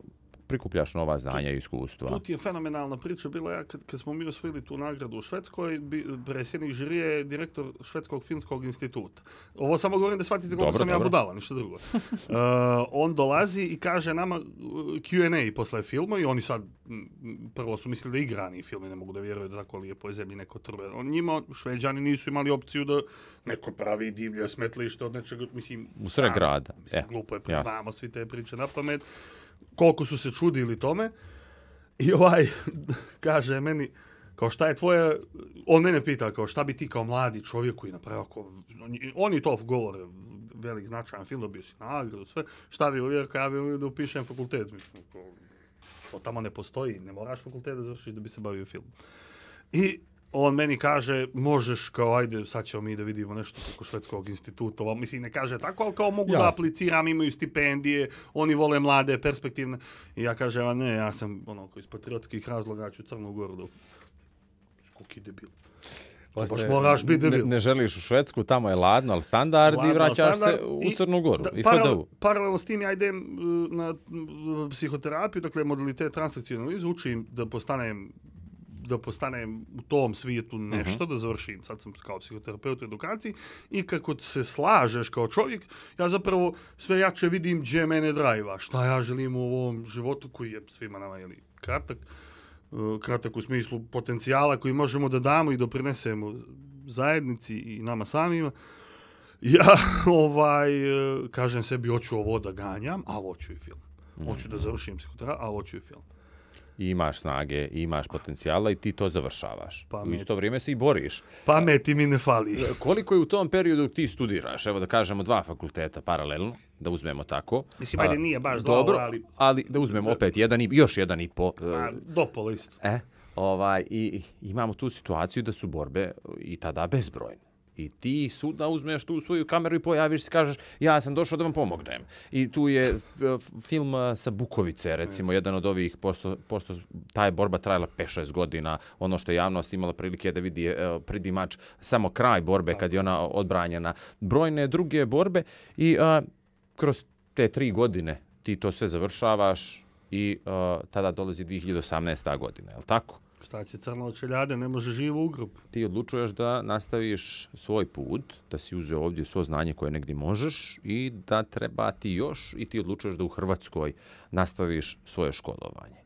prikupljaš nova znanja i iskustva. Tu ti je fenomenalna priča bila ja kad, kad smo mi osvojili tu nagradu u Švedskoj, bi, predsjednik žirije je direktor Švedskog filmskog instituta. Ovo samo govorim da shvatite koliko Dobro, sam dobro. ja budala, ništa drugo. uh, on dolazi i kaže nama Q and A posle filma i oni sad m, prvo su mislili da igrani filmi, ne mogu da vjeruju da tako lijepo je zemlji neko trve. On njima, Šveđani nisu imali opciju da neko pravi divlje smetlište od nečega, mislim... U sred znam, grada. Mislim, E, glupo je, jasno. znamo svi te priče na pamet. Koliko su se čudili tome. I ovaj kaže meni, kao šta je tvoje, on mene pita, kao šta bi ti kao mladi čovjek koji napravio, kao, oni to govore, velik značajan film, dobio si nagradu, sve, šta bi uvijek, ja bi uvijek da upišem fakultet, mislim, kao, to tamo ne postoji, ne moraš fakultet da završiš da bi se bavio film. I on meni kaže, možeš kao, ajde, sad ćemo mi da vidimo nešto preko Švedskog instituta. Ovo, mislim, ne kaže tako, ali kao mogu Jasne. da apliciram, imaju stipendije, oni vole mlade, perspektivne. I ja kažem, a ne, ja sam, ono, iz patriotskih razloga ću Crnu Goru da... Koki debil. Baš moraš biti ne, debil. ne želiš u Švedsku, tamo je ladno, ali standard Ladno, i vraćaš standard. se u I Crnu Goru. Da, I paralel, F D U. paralelno s tim ja idem uh, na uh, psihoterapiju, dakle modalitet transakcijne analize, učim da postanem da postanem u tom svijetu nešto, uh-huh. da završim. Sad sam kao psihoterapeut u edukaciji i kako se slažeš kao čovjek, ja zapravo sve jače vidim gdje mene drajva, šta ja želim u ovom životu koji je svima nama jeli, kratak, uh, kratak u smislu potencijala koji možemo da damo i doprinesemo zajednici i nama samima. Ja ovaj, kažem sebi, hoću ovo da ganjam, ali hoću i film. Hoću da završim psihoterapiju, ali hoću i film. I imaš snage, i imaš potencijala i ti to završavaš. Pa u mi- isto vrijeme se i boriš. Pameti mi ne fali. Koliko je u tom periodu ti studiraš? Evo da kažemo dva fakulteta paralelno, da uzmemo tako. Mislim, ajde, A, nije baš dva, dobro, ali- ali da uzmemo opet jedan i još jedan i po. A, dopola isto. E, ovaj, i, i imamo tu situaciju da su borbe i tada bezbrojne. I ti suda uzmeš tu svoju kameru i pojaviš se, kažeš ja sam došao da vam pomognem. I tu je f- film a, sa Bukovice, recimo, yes. jedan od ovih, pošto, pošto ta je borba trajala pet šest godina, ono što je javnost imala prilike da vidi e, predimač samo kraj borbe kad je ona odbranjena. Brojne druge borbe i a, kroz te tri godine ti to sve završavaš i a, tada dolazi dvije hiljade osamnaesta godina, je li tako? Šta će crno od čeljade, ne može živo u grob. Ti odlučuješ da nastaviš svoj put, da si uzeo ovdje svo znanje koje negdje možeš i da treba ti još i ti odlučuješ da u Hrvatskoj nastaviš svoje školovanje.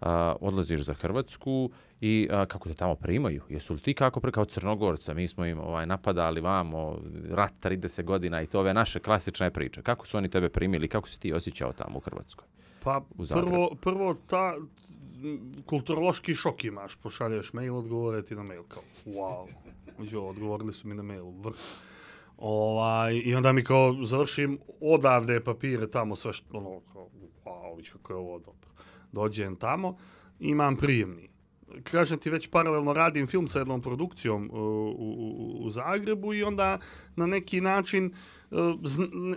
Uh, odlaziš za Hrvatsku i uh, kako te tamo primaju? Jesu li ti kako pre kao Crnogorca? Mi smo im ovaj, napadali vamo, rat trideset godina i to ove naše klasične priče. Kako su oni tebe primili? Kako si ti osjećao tamo u Hrvatskoj? Pa U Zagrebu. prvo, prvo ta m, kulturološki šok imaš. Pošalješ mail, odgovore ti na mail. Kao, wow. Među, odgovorili su mi na mail. Vrh. Ovaj, I onda mi kao završim odavde papire tamo, sve što, ono, kao, wow, vić kako je ovo dobro. Dođem tamo, imam prijemni. Kažem ti, već paralelno radim film sa jednom produkcijom uh, u, u, u Zagrebu i onda na neki način uh, zn, ne,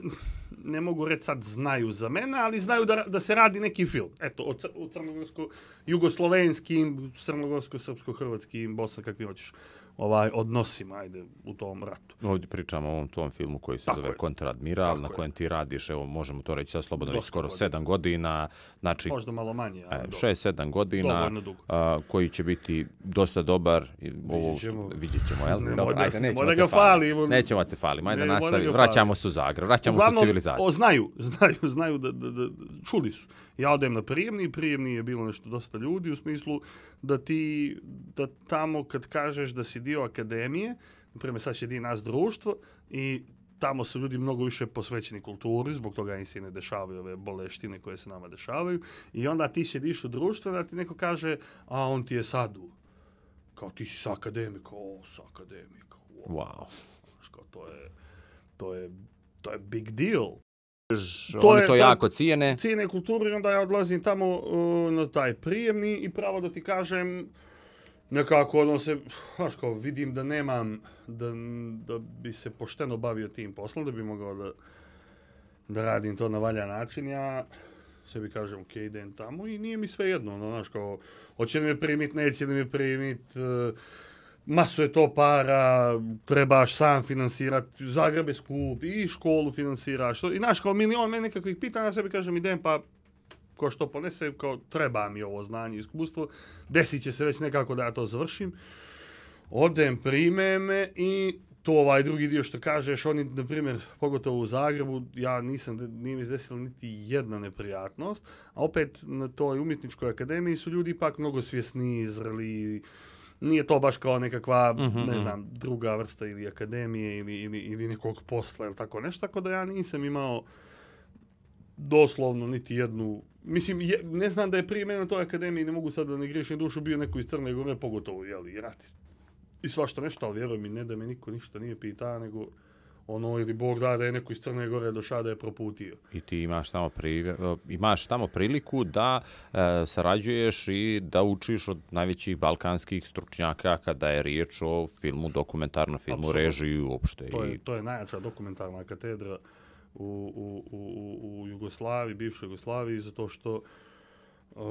ne mogu reći sad znaju za mene, ali znaju da, da se radi neki film. Eto, o, cr, o crnogorsko-jugoslovenskim, crnogorsko-srpsko-hrvatskim, Bosna, kakvi hoćeš, ovaj, odnosima, ajde, u tom ratu. Ovdje pričamo o ovom tom filmu koji se Tako zove je. Kontradmiral, Tako na je. kojem ti radiš, evo možemo to reći sad slobodno, već Dosta skoro godina. sedam godina, znači Možda malo manje, ali dobro. šest sedam godina, Dovoljno dugo. a, koji će biti dosta dobar. I ovo, Vidjet ćemo. vidjet ćemo, jel? Nemoj Dobro, da- ajde, nećemo nemoj te da ga faliti. falimo. Nećemo te faliti, ajde Nemoj da nastavi. ga Vraćamo falimo. se u Zagreb, vraćamo Uglavnom, se u civilizaciju. O, znaju, znaju, znaju da, da, da, čuli su. Ja odem na prijemni, prijemni je bilo nešto dosta ljudi u smislu da ti, da tamo kad kažeš da si dio akademije, naprimjer sad će di nas društvo i tamo su ljudi mnogo više posvećeni kulturi, zbog toga im se ne dešavaju ove boleštine koje se nama dešavaju i onda ti sjediš u društvu da ti neko kaže, a on ti je sadu. Kao ti si sa akademika, o, sa akademika. Wow. Wow. Znaš, kao, to je, to je, to je big deal. Oni je- to to- jako cijene. Cijene kulturu i onda ja odlazim tamo uh, na taj prijemni i pravo da ti kažem nekako ono se, znaš kao vidim da nemam, da, da bi se pošteno bavio tim poslom, da bi mogao da, da radim to na valjan način, ja sebi kažem ok, idem tamo i nije mi sve jedno, ono, znaš kao, hoće li me primit, neće li me primit, uh, masu je to para, trebaš sam finansirati, Zagreb je skup, i školu finansiraš, to, i znaš, kao milion meni nekakvih pitanja, ja sebi kažem, idem pa ko što ponese, kao treba mi ovo znanje i iskustvo, desit će se već nekako da ja to završim. Odem, prime me i to ovaj drugi dio što kažeš, oni, na primjer, pogotovo u Zagrebu, ja nisam, nije mi izdesila niti jedna neprijatnost, a opet na toj umjetničkoj akademiji su ljudi ipak mnogo svjesniji, zreli, nije to baš kao nekakva, mm-hmm. ne znam, druga vrsta ili akademije ili, ili, ili nekog posla ili tako nešto, tako da ja nisam imao doslovno niti jednu, mislim, je, ne znam da je prije mene na toj akademiji, ne mogu sad da ne griješim dušu, bio neko iz Crne Gore, pogotovo, jeli, ratist. I svašta nešto, ali vjeruj mi, ne da me niko ništa nije pitao, nego ono, ili Bog da da je neko iz Crne Gore došao da je proputio. I ti imaš tamo, pri, imaš tamo priliku da e, sarađuješ i da učiš od najvećih balkanskih stručnjaka kada je riječ o filmu, dokumentarnom filmu, Absolutno. Režiji uopšte. To je, to je najjača dokumentarna katedra u, u, u, u Jugoslaviji, bivšoj Jugoslaviji, zato što uh,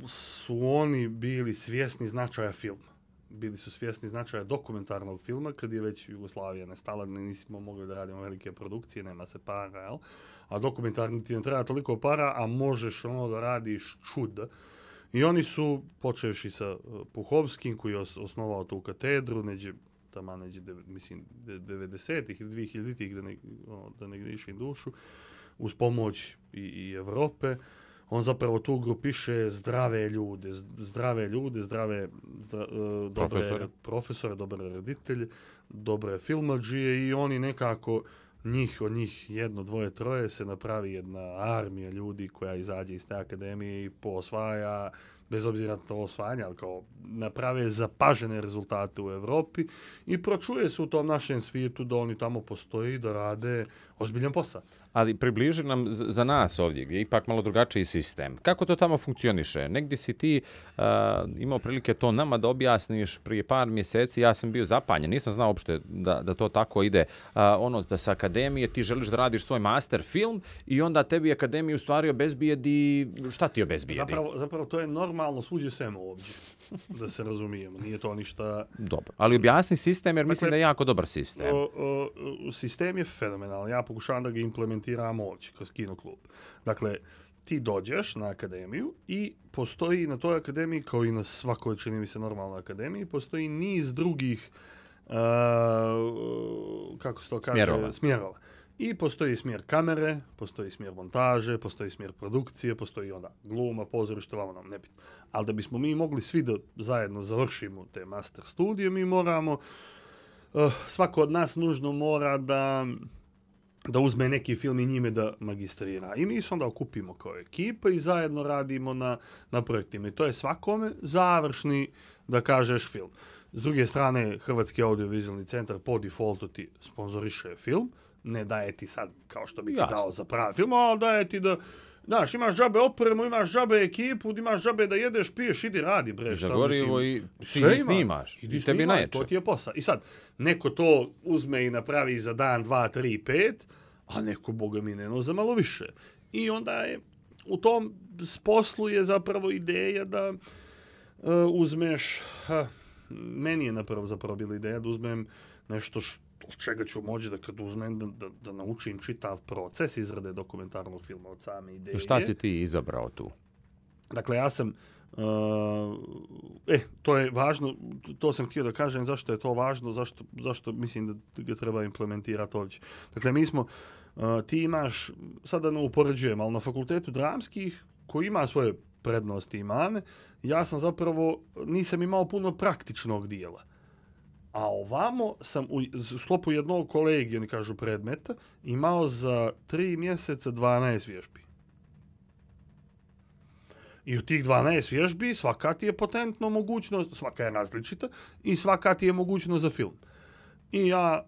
su oni bili svjesni značaja filma. Bili su svjesni značaja dokumentarnog filma, kad je već Jugoslavija nestala, nismo mogli da radimo velike produkcije, nema se para, jel? A dokumentarni ti ne treba toliko para, a možeš ono da radiš čuda. I oni su, počevši sa Puhovskim, koji je os- osnovao tu katedru, neđe, tamo neđe, de, mislim, devedesetih ili dvihiljaditih, da ne, ono, da ne grišim dušu, uz pomoć i, i Evrope. On zapravo tu grupiše zdrave ljude, zdrave ljude, zdrave zdra, uh, dobre profesore. profesore, dobre reditelje, dobre filmadžije i oni nekako, njih od njih jedno, dvoje, troje se napravi jedna armija ljudi koja izađe iz te akademije i poosvaja, bez obzira na to osvajanje, ali kao naprave zapažene rezultate u Evropi i pročuje se u tom našem svijetu da oni tamo postoji, da rade ozbiljan posao. Ali približi nam za nas ovdje, gdje je ipak malo drugačiji sistem. Kako to tamo funkcioniše? Negdje si ti uh, imao prilike to nama da objasniš prije par mjeseci, ja sam bio zapanjen, nisam znao uopšte da, da to tako ide. Uh, ono da sa akademije ti želiš da radiš svoj master film i onda tebi akademija u stvari obezbijedi, šta ti obezbijedi? Zapravo, zapravo to je normalno svuđe sem ovdje, da se razumijemo, nije to ništa... Dobro, ali objasni sistem jer dakle, mislim da je jako dobar sistem. O, o, sistem je fenomenalan, ja pokušavam da ga implementiramo ovdje kroz Kino klub. Dakle, ti dođeš na akademiju i postoji na toj akademiji, kao i na svakoj, čini mi se, normalnoj akademiji, postoji niz drugih, uh, kako se to kaže, smjerova. smjerova. I postoji smjer kamere, postoji smjer montaže, postoji smjer produkcije, postoji onda gluma, pozorište, vamo nam nebitno. Ali da bismo mi mogli svi da zajedno završimo te master studije, mi moramo, uh, svako od nas nužno mora da... da uzme neki film i njime da magistrira. I mi se onda okupimo kao ekipa i zajedno radimo na, na projektima. I to je svakome završni, da kažeš, film. S druge strane, Hrvatski audiovizualni centar po defaultu ti sponzoriše film, ne daje ti sad kao što bi ti Jasne. dao za pravi film, ali daje ti da, znaš, imaš džabe opremu, imaš džabe ekipu, imaš džabe da jedeš, piješ, idi radi, bre. Za gorivo i sve snimaš. Idi tebi najjače. To ti je posao. I sad, neko to uzme i napravi za dan, dva, tri, pet, a neko, boga mi, ne za malo više. I onda je, u tom poslu je zapravo ideja da uh, uzmeš, ha, meni je napravo zapravo bila ideja da uzmem nešto što od čega ću moći da kad uzmem da, da, da naučim čitav proces izrade dokumentarnog filma od same ideje. I šta si ti izabrao tu? Dakle, ja sam, uh, e, to je važno, to sam htio da kažem zašto je to važno, zašto, zašto mislim da ga treba implementirati ovdje. Dakle, mi smo, uh, ti imaš, sada ne upoređujem, ali na fakultetu dramskih, koji ima svoje prednosti i mane, ja sam zapravo, nisam imao puno praktičnog dijela. A ovamo sam u sklopu jednog kolegija, oni kažu predmeta, imao za tri mjeseca dvanaest vježbi. I u tih dvanaest vježbi svaka ti je potentno mogućnost, svaka je različita i svaka ti je mogućnost za film. I ja,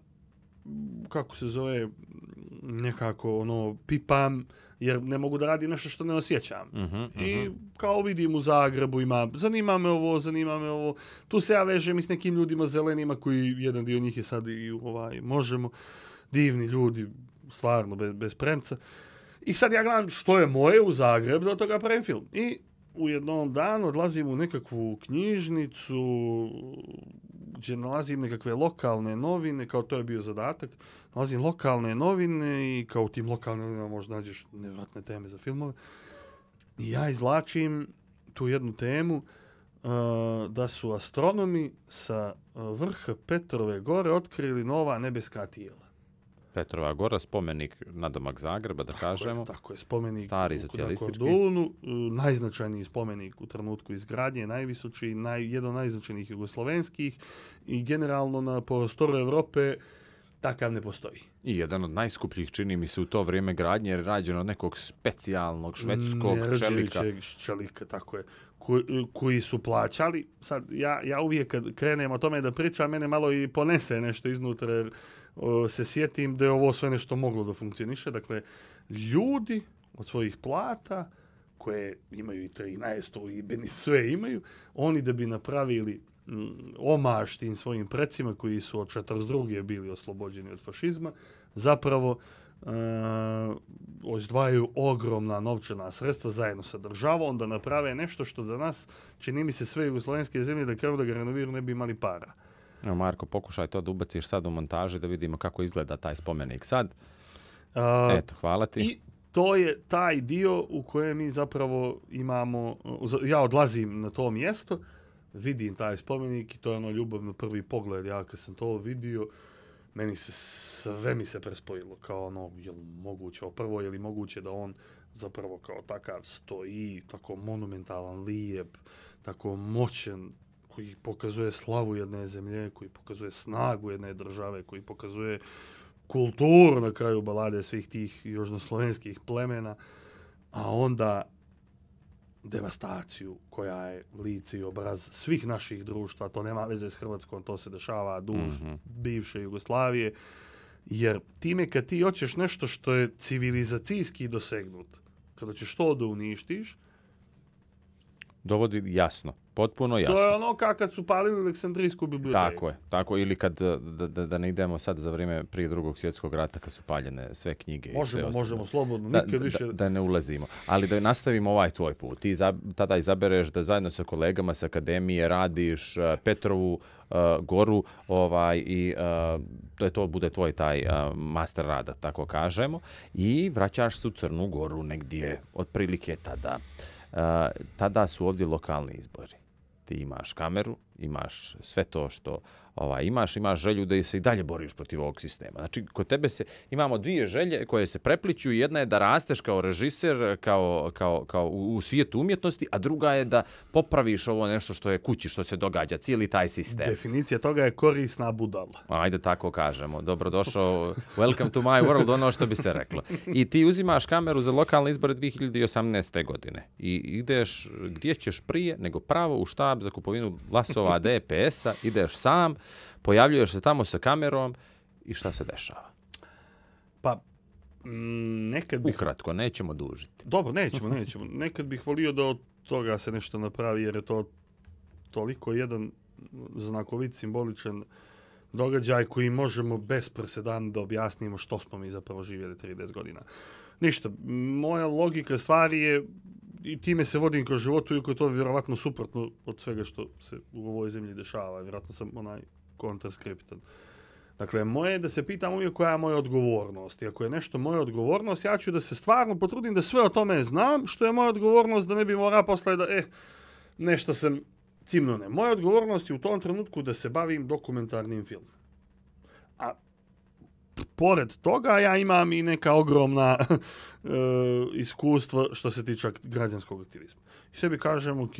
kako se zove, nekako ono, pipam, jer ne mogu da radim nešto što ne osjećam. Uh-huh, uh-huh. I kao vidim u Zagrebu ima, zanima me ovo, zanima me ovo. Tu se ja vežem i s nekim ljudima zelenima koji, jedan dio njih je sad i ovaj, možemo, divni ljudi, stvarno, bez, bez premca. I sad ja gledam što je moje u Zagrebu, da od toga pravim film. I u jednom danu odlazim u nekakvu knjižnicu, gdje nalazim nekakve lokalne novine, kao to je bio zadatak, nalazim lokalne novine i kao u tim lokalnim novinama možda nađeš nevjerojatne teme za filmove. I ja izvlačim tu jednu temu uh, da su astronomi sa uh, vrha Petrove gore otkrili nova nebeska tijela. Petrova gora, spomenik nadomak Zagreba, da tako kažemo. Je, tako je, spomenik stari na socijalistički. Kordunu, uh, najznačajniji spomenik u trenutku izgradnje, najvisoči, naj, jedan od najznačajnijih jugoslovenskih i generalno na prostoru Evrope takav ne postoji. I jedan od najskupljih, čini mi se, u to vrijeme gradnje, jer je rađen od nekog specijalnog švedskog čelika. čelika, tako je. Ko, koji su plaćali. Sad, ja, ja uvijek kad krenem o tome da pričam, mene malo i ponese nešto iznutra, jer o, se sjetim da je ovo sve nešto moglo da funkcioniše. Dakle, ljudi od svojih plata, koje imaju i trinaest i benit, sve imaju, oni da bi napravili omaž tim svojim precima koji su od četrdeset druge bili oslobođeni od fašizma, zapravo uh, izdvajaju ogromna novčana sredstva zajedno sa državom da naprave nešto što danas, čini mi se, sve jugoslovenske zemlje da krenu da ga renoviraju ne bi imali para. Evo, Marko, pokušaj to da ubaciš sad u montaži da vidimo kako izgleda taj spomenik sad. Uh, Eto, hvala ti. I to je taj dio u kojem mi zapravo imamo, ja odlazim na to mjesto, vidim taj spomenik i to je ono ljubav na prvi pogled. Ja kad sam to vidio, meni se sve mi se prespojilo kao ono, je li moguće, prvo je li moguće da on zapravo kao takav stoji, tako monumentalan, lijep, tako moćan, koji pokazuje slavu jedne zemlje, koji pokazuje snagu jedne države, koji pokazuje kulturu na kraju balade svih tih južnoslovenskih plemena, a onda devastaciju koja je lice i obraz svih naših društva, to nema veze s Hrvatskom, to se dešava duž mm-hmm. bivše Jugoslavije, jer time kad ti hoćeš nešto što je civilizacijski dosegnut, kada ćeš to da uništiš, dovodi jasno, potpuno jasno. To je ono kao kad su palili Aleksandrijsku biblioteku. Tako je, tako, ili kad, da, da, da ne idemo sad za vrijeme prije drugog svjetskog rata kad su paljene sve knjige. Možemo, i sve možemo, slobodno, da, nikad da, više. Da, da ne ulazimo, ali da nastavimo ovaj tvoj put. Ti za, tada izabereš da zajedno sa kolegama sa akademije radiš uh, Petrovu uh, goru ovaj, i uh, da to bude tvoj taj uh, master rada, tako kažemo, i vraćaš se u Crnu Goru negdje, otprilike tada. Uh, tada su ovdje lokalni izbori. Ti imaš kameru, imaš sve to što ovaj, imaš, imaš želju da se i dalje boriš protiv ovog sistema. Znači, kod tebe se, imamo dvije želje koje se prepliću. Jedna je da rasteš kao režiser, kao, kao, kao u, u svijetu umjetnosti, a druga je da popraviš ovo nešto što je kući, što se događa, cijeli taj sistem. Definicija toga je korisna budala. Ajde tako kažemo. Dobrodošao, welcome to my world, ono što bi se reklo. I ti uzimaš kameru za lokalne izbore dvije hiljade osamnaeste. godine. I ideš, gdje ćeš prije, nego pravo u štab za kupovinu glasova D P S-a, ideš sam, pojavljuješ se tamo sa kamerom i šta se dešava? Pa, m, nekad bih... Ukratko, nećemo dužiti. Dobro, nećemo, nećemo. Nekad bih volio da od toga se nešto napravi, jer je to toliko jedan znakovit, simboličan događaj koji možemo bez presedana da objasnimo što smo mi zapravo živjeli trideset godina. Ništa, moja logika stvari je, i time se vodim kroz životu, iako je to vjerovatno suprotno od svega što se u ovoj zemlji dešava. Vjerojatno sam onaj kontraskriptan. Dakle, moje je da se pitam uvijek koja je moja odgovornost. I ako je nešto moja odgovornost, ja ću da se stvarno potrudim da sve o tome znam, što je moja odgovornost, da ne bi morao posle da, eh, nešto sam cimno ne. Moja odgovornost je u tom trenutku da se bavim dokumentarnim filmom. A pored toga ja imam i neka ogromna e, iskustva što se tiče građanskog aktivizma. I sebi kažem, ok,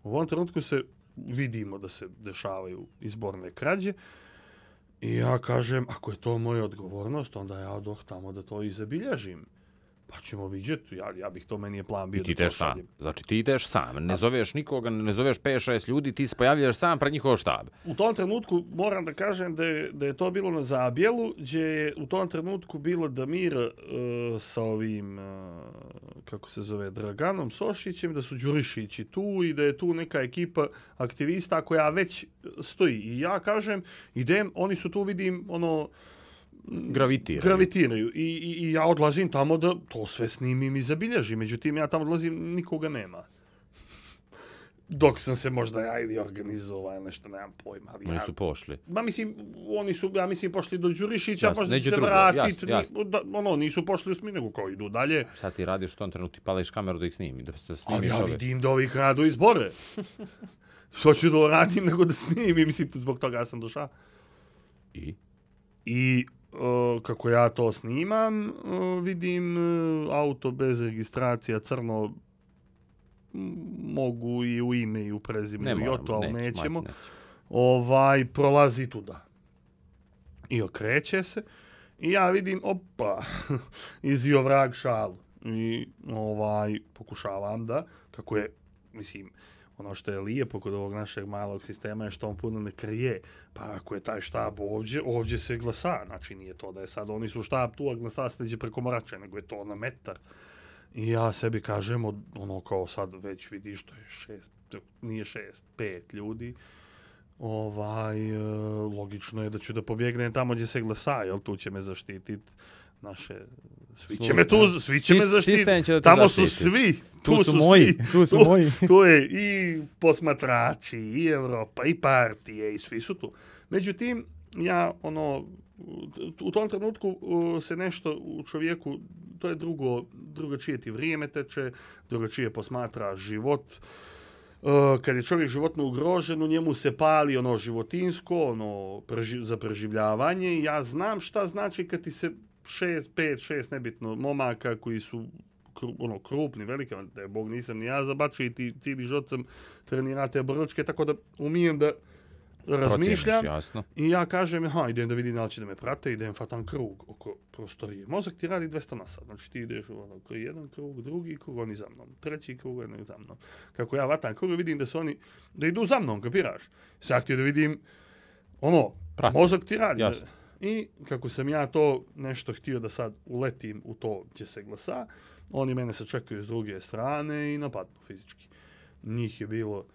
u ovom trenutku se vidimo da se dešavaju izborne krađe i ja kažem, ako je to moja odgovornost, onda ja odoh tamo da to i zabilježim. Pa ćemo vidjeti, ja, ja bih to, meni je plan bio I ti da to ideš sam. šaljem. Znači ti ideš sam, ne zoveš nikoga, ne zoveš pet šest ljudi, ti se pojavljaš sam pred njihov štab. U tom trenutku moram da kažem da je, da je to bilo na Zabjelu, gdje je u tom trenutku bilo Damir uh, sa ovim, uh, kako se zove, Draganom Sošićem, da su Đurišići tu i da je tu neka ekipa aktivista koja već stoji. I ja kažem, idem, oni su tu, vidim, ono, Gravitiraju. Gravitiraju. I, i, I ja odlazim tamo da to sve snimim i zabilježim. Međutim, ja tamo odlazim, nikoga nema. dok sam se možda ja ili organizovao ili nešto, nemam pojma. Ali Oni ja, su pošli. ma mislim, oni su, ja mislim, pošli do Đurišića, Jasno, možda će neđe se drugo, vratiti, jasno, jasno. da, ono, nisu pošli u smiju, nego kao idu dalje. Sad ti radiš u tom trenutku, ti pališ kameru da ih snimi, da se snimiš Ali ja ove. vidim da ovi kradu izbore. Što ću da radim nego da snimim, mislim, zbog toga sam došao. I? I uh, kako ja to snimam, uh, vidim uh, auto bez registracija, crno, m, mogu i u ime i u prezimenu, i o to, ali neće, nećemo. majte, neće. Ovaj, prolazi tuda. I okreće se. I ja vidim, opa, izio vrag šalu. I ovaj, pokušavam da, kako je, mislim, ono što je lijepo kod ovog našeg malog sistema je što on puno ne krije. Pa ako je taj štab ovdje, ovdje se glasa. Znači nije to da je sad, oni su štab tu, a glasa se neđe preko Morače, nego je to na metar. I ja sebi kažem, ono kao sad već vidiš, to je šest, nije šest, pet ljudi. Ovaj, e, logično je da ću da pobjegnem tamo gdje se glasa, jel tu će me zaštititi naše, svi će me tu, svi će me zaštititi, će da te tamo zaštiti. su svi, Tu tu su su moji, svi, tu su tu, moji. tu je i posmatrači, i Evropa, i partije, i svi su tu. Međutim, ja, ono, u tom trenutku uh, se nešto u čovjeku, to je drugo, drugačije ti vrijeme teče, drugačije posmatra život. Uh, kad je čovjek životno ugrožen, u njemu se pali ono životinsko, ono preži, za preživljavanje. Ja znam šta znači kad ti se šest, pet, šest, nebitno, momaka koji su kru, ono, krupni, veliki, da je Bog nisam ni ja zabačiti, cijeli život sam trenirate brličke, tako da umijem da razmišljam. Jasno. I ja kažem, aha, idem da vidim da li će da me prate, idem fatam krug oko prostorije. Mozak ti radi dvesta na sat, znači ti ideš ono, koji jedan krug, drugi krug, oni za mnom, treći krug, oni za mnom. Kako ja vatam krug, vidim da su oni, da idu za mnom, kapiraš? Sad ti da vidim, ono, Prati. mozak ti radi. Jasno. I kako sam ja to nešto htio da sad uletim u to gdje se glasa, oni mene se čekaju s druge strane i napadnu fizički. Njih je bilo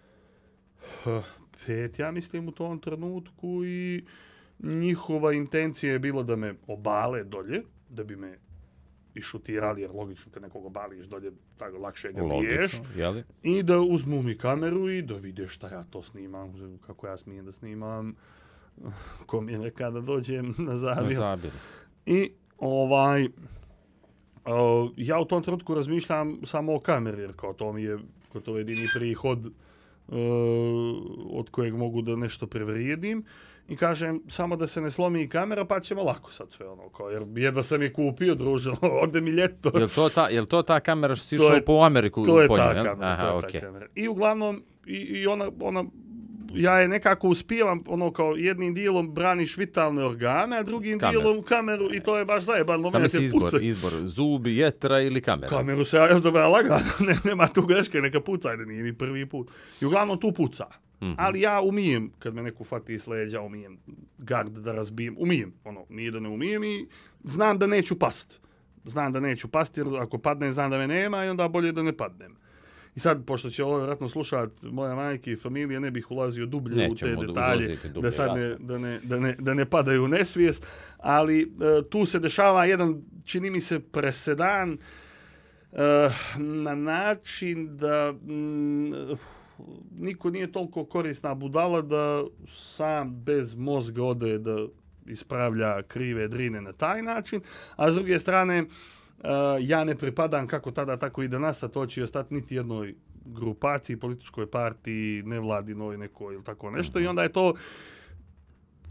pet, ja mislim, u tom trenutku i njihova intencija je bila da me obale dolje, da bi me išutirali, jer logično kad nekog obališ dolje, tako lakše ga biješ. Jeli? I da uzmu mi kameru i da vide šta ja to snimam, kako ja smijem da snimam, ko mi je neka da dođem na zabir. Na zabir. I ovaj, uh, ja u tom trenutku razmišljam samo o kameri, jer kao to mi je, kao to je jedini prihod Uh, od kojeg mogu da nešto prevrijedim i kažem samo da se ne slomi kamera pa ćemo lako sad sve ono kao jer jedva sam je kupio druže ode mi ljeto. Jel to ta jel to ta kamera što si išao po Ameriku to je po ta njoj? kamera, Aha, to je okay. ta kamera. I uglavnom i, i ona ona ja je nekako uspijevam ono kao jednim dijelom braniš vitalne organe, a drugim Kamer. dijelom kameru i to je baš zajebano. Samo si izbor, pucaj. izbor, zubi, jetra ili kamera. Kameru se ja dobra lagano, ne, nema tu greške, neka puca, ajde nije ni prvi put. I uglavnom tu puca. Mm-hmm. Ali ja umijem, kad me neko fati s leđa, umijem gard da razbijem, umijem, ono, nije da ne umijem i znam da neću past. Znam da neću past, jer ako padnem, znam da me nema i onda bolje da ne padnem. I sad, pošto će ovo vjerojatno slušat moja majka i familija, ne bih ulazio dublje Nećemo u te detalje, dublje, da sad ne, da, ne, da, ne, da ne padaju u nesvijest, ali uh, tu se dešava jedan, čini mi se, presedan uh, na način da mm, niko nije toliko korisna budala da sam bez mozga ode da ispravlja krive drine na taj način, a s druge strane, Uh, ja ne pripadam kako tada, tako i danas, a to će ostati niti jednoj grupaciji, političkoj partiji, nevladinoj nekoj ili tako nešto. I onda je to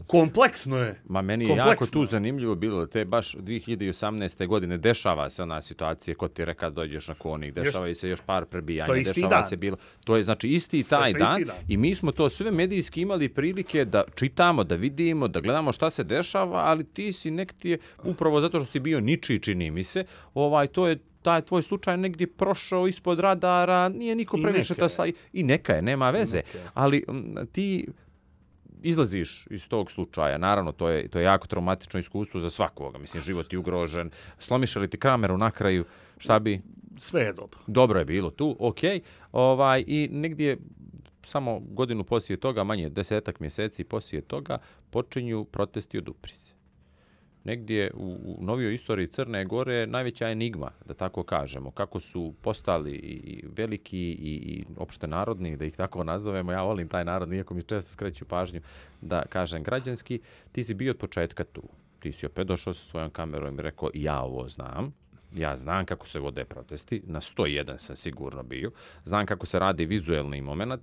kompleksno je. Ma meni je kompleksno. jako tu zanimljivo bilo, te baš dvije hiljade osamnaeste. godine dešava se ona situacija, kod ti reka dođeš na konik, dešava i se još par prebijanja, dešava dan. se bilo. To je znači isti taj dan, isti dan i mi smo to sve medijski imali prilike da čitamo, da vidimo, da gledamo šta se dešava, ali ti si nek ti je, upravo zato što si bio ničiji, čini mi se, ovaj, to je taj tvoj slučaj negdje prošao ispod radara, nije niko previše ta sla... I neka je, nema veze. Ali m, ti izlaziš iz tog slučaja, naravno to je to je jako traumatično iskustvo za svakoga. Mislim, život je ugrožen. Slomiš li ti kameru na kraju, šta bi? Sve je dobro. Dobro je bilo tu, okej. Ovaj, i negdje samo godinu poslije toga, manje desetak mjeseci poslije toga, počinju protesti od Uprize. negdje u, u novijoj istoriji Crne Gore najveća enigma, da tako kažemo. Kako su postali i veliki i, i opšte narodni, da ih tako nazovemo. Ja volim taj narod, iako mi često skreću pažnju da kažem građanski. Ti si bio od početka tu. Ti si opet došao sa svojom kamerom i rekao ja ovo znam. Ja znam kako se vode protesti. Na sto jedan sam sigurno bio. Znam kako se radi vizuelni moment.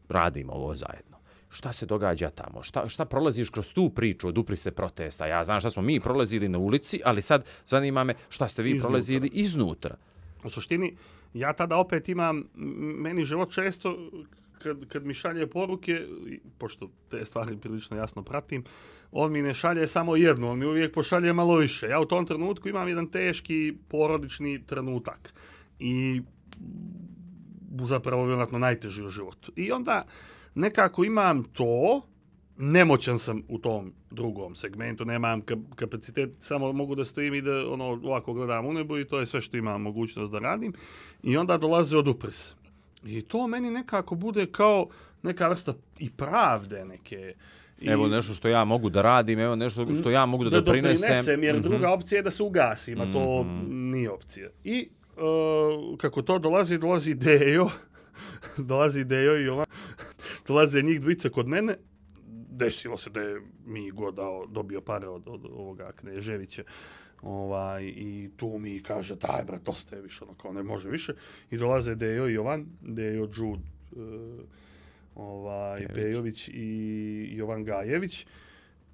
Radimo ovo zajedno. Šta se događa tamo? Šta, šta prolaziš kroz tu priču od upri se protesta? Ja znam šta smo mi prolazili na ulici, ali sad zanima me šta ste vi iznutra. prolazili iznutra. U suštini, ja tada opet imam, meni život često, kad, kad mi šalje poruke, pošto te stvari prilično jasno pratim, on mi ne šalje samo jednu, on mi uvijek pošalje malo više. Ja u tom trenutku imam jedan teški porodični trenutak. I zapravo vjerojatno najteži u životu. I onda nekako imam to, nemoćan sam u tom drugom segmentu, nemam kapacitet, samo mogu da stojim i da ono, ovako gledam u nebo i to je sve što imam mogućnost da radim. I onda dolaze od upris. I to meni nekako bude kao neka vrsta i pravde neke. I evo nešto što ja mogu da radim, evo nešto što ja mogu da, da doprinesem. doprinesem. Jer mm-hmm. druga opcija je da se ugasim, a to mm-hmm. nije opcija. I uh, kako to dolazi, dolazi Dejo, dolazi Dejo i ova, dolaze njih dvojica kod mene. Desilo se da je mi god dao, dobio pare od, od ovoga Kneževića. Ovaj, i tu mi kaže, daj brat, ostaje više, ono kao ne može više. I dolaze Dejo i Jovan, Dejo Džud, uh, ovaj, Pejović i Jovan Gajević.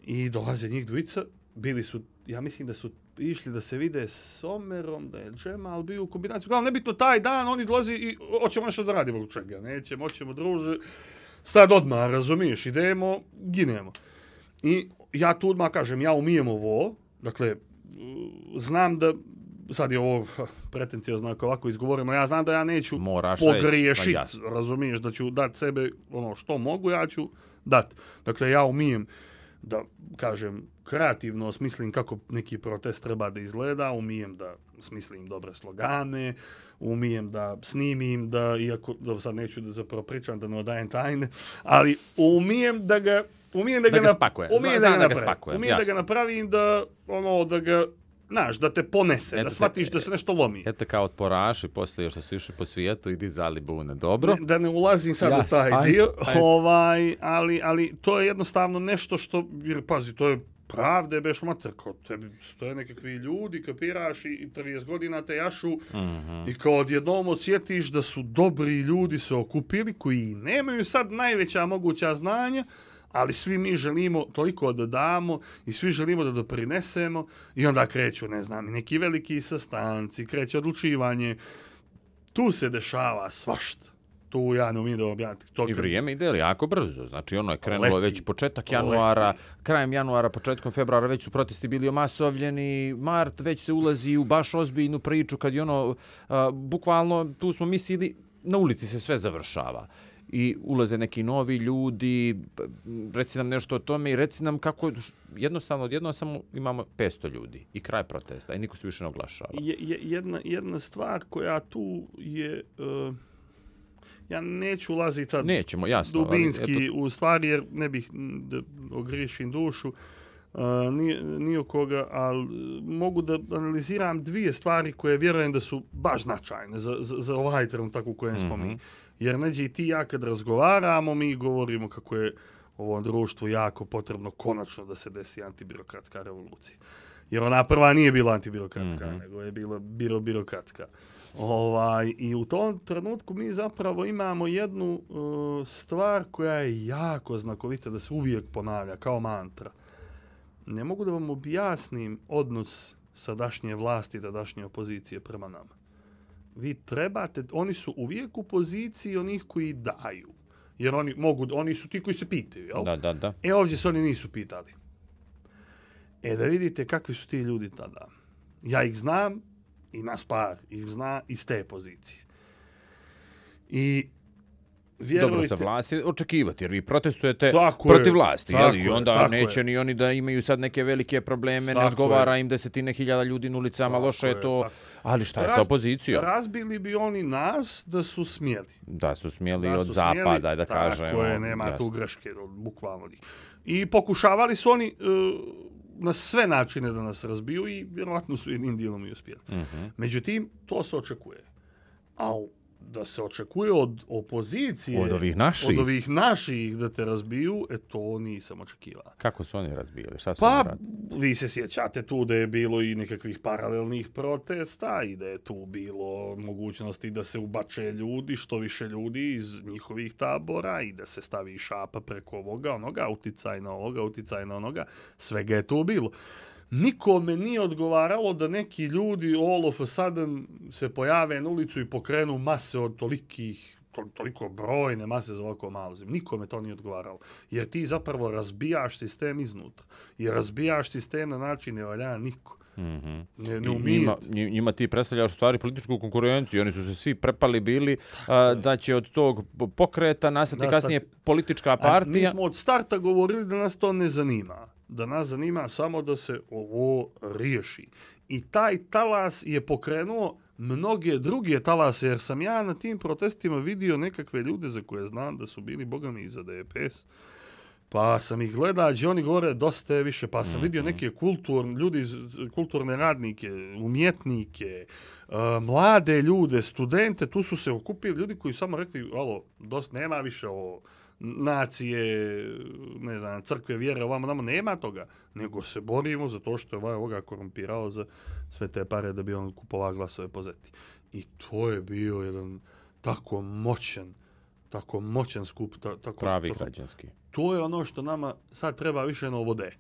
I dolaze njih dvojica, bili su, ja mislim da su išli da se vide s Omerom, da je Džemal bio u kombinaciju. Glavno, nebitno taj dan, oni dolazi i hoćemo nešto da radimo u čega, nećemo, hoćemo druže. Sad odmah, razumiješ, idemo, ginemo. I ja tu odmah kažem, ja umijem ovo, dakle, znam da, sad je ovo pretencijozno ako ovako izgovorimo, ja znam da ja neću Moraš pogriješiti, pa razumiješ, da ću dati sebe ono što mogu, ja ću dati. Dakle, ja umijem da, kažem, kreativno osmislim kako neki protest treba da izgleda, umijem da smislim dobre slogane, umijem da snimim, da, iako da sad neću da zapravo pričam, da ne odajem tajne, ali umijem da ga umijem da, da ga, ga spakuje. Umijem Znam da ga, da ga spakujem. Umijem da ga napravim da, ono, da ga, znaš, da te ponese, eto da shvatiš te, da se nešto lomi. Eto kao otporaši, poslije što su išli po svijetu i dizali bune. Dobro. Ne, da ne ulazim sad Jasne, u taj aj, dio, aj. ovaj, ali, ali to je jednostavno nešto što, jer pazi, to je pravde, beš mater, kao tebi stoje nekakvi ljudi, kapiraš i trideset godina te jašu mm-hmm. i kao odjednom osjetiš da su dobri ljudi se okupili koji nemaju sad najveća moguća znanja, ali svi mi želimo toliko da damo i svi želimo da doprinesemo i onda kreću, ne znam, neki veliki sastanci, kreće odlučivanje. Tu se dešava svašta. Tu ja ne umijem da objaviti. To I vrijeme ide jako brzo. Znači ono je krenulo leti, već početak januara, leti. krajem januara, početkom februara već su protesti bili omasovljeni, mart već se ulazi u baš ozbiljnu priču kad je ono, uh, bukvalno tu smo mislili, na ulici se sve završava. I ulaze neki novi ljudi, reci nam nešto o tome i reci nam kako jednostavno odjedno samo imamo petsto ljudi i kraj protesta i niko se više ne oglašava. Je, je, jedna, jedna stvar koja tu je, uh, ja neću ulaziti sad Nećemo, jasno, dubinski ali, eto... u stvari jer ne bih da ogriješim dušu, uh, ni, ni o koga, ali mogu da analiziram dvije stvari koje vjerujem da su baš značajne za, za, za ovaj trenutak u kojem mm-hmm. smo mi. Jer neđe i ti ja kad razgovaramo, mi govorimo kako je ovom društvu jako potrebno konačno da se desi antibirokratska revolucija. Jer ona prva nije bila antibirokratska, mm-hmm. nego je bila biro-birokratska. Ovaj, i u tom trenutku mi zapravo imamo jednu uh, stvar koja je jako znakovita da se uvijek ponavlja kao mantra. Ne mogu da vam objasnim odnos sadašnje vlasti i tadašnje opozicije prema nama. Vi trebate, oni su uvijek u poziciji onih koji daju. Jer oni mogu, oni su ti koji se pitaju, jel? Da, da, da. E ovdje se oni nisu pitali. E da vidite kakvi su ti ljudi tada. Ja ih znam i nas par ih zna iz te pozicije. I vjerujte... Dobro, sa vlasti očekivati, jer vi protestujete tako protiv je, vlasti, tako jel? I onda je, neće je. ni oni da imaju sad neke velike probleme, tako ne odgovara je. im desetine hiljada ljudi na ulicama, tako loše je to. Tako. Ali šta je Raz, sa opozicijom? Razbili bi oni nas da su smjeli. Da su smjeli da od su zapada, smjeli, da kažem. Tako je, nema tu greške, bukvalno njih. I pokušavali su oni, uh, na sve načine da nas razbiju i vjerojatno su jednim dijelom i uspjeli. Mm-hmm. Međutim, to se očekuje. A da se očekuje od opozicije, od ovih naših, od ovih naših da te razbiju, e to nisam očekivao. Kako su oni razbijali? Šta su Pa, oni radili? vi se sjećate tu da je bilo i nekakvih paralelnih protesta i da je tu bilo mogućnosti da se ubače ljudi, što više ljudi iz njihovih tabora i da se stavi šapa preko ovoga, onoga, uticaj na ovoga, uticaj na onoga, svega je tu bilo. Nikome nije odgovaralo da neki ljudi all of a sudden se pojave na ulicu i pokrenu mase od tolikih, to, toliko brojne mase za ovako malo zemlje. Nikome to nije odgovaralo. Jer ti zapravo razbijaš sistem iznutra. Jer razbijaš sistem na način ne valja niko. Mm-hmm. Ne, ne njima, njima ti predstavljaš u stvari političku konkurenciju. Oni su se svi prepali bili a, da će od tog pokreta nastati kasnije politička partija. A mi smo od starta govorili da nas to ne zanima. Da nas zanima samo da se ovo riješi. I taj talas je pokrenuo mnoge druge talase, jer sam ja na tim protestima vidio nekakve ljude za koje znam da su bili bogami iza D P S. Pa sam ih gledao, i oni govore dosta je više, pa sam mm-hmm. vidio neke kulturne, ljudi, kulturne radnike, umjetnike, uh, mlade ljude, studente, tu su se okupili ljudi koji samo rekli, alo, dosta nema više o nacije, ne znam, crkve, vjere, ovamo, namo, nema toga, nego se borimo za to što je ovaj ovoga korumpirao za sve te pare da bi on kupovao glasove po zeti. I to je bio jedan tako moćan, tako moćan skup. Ta, tako, pravi tako, građanski. To je ono što nama sad treba više novo vode.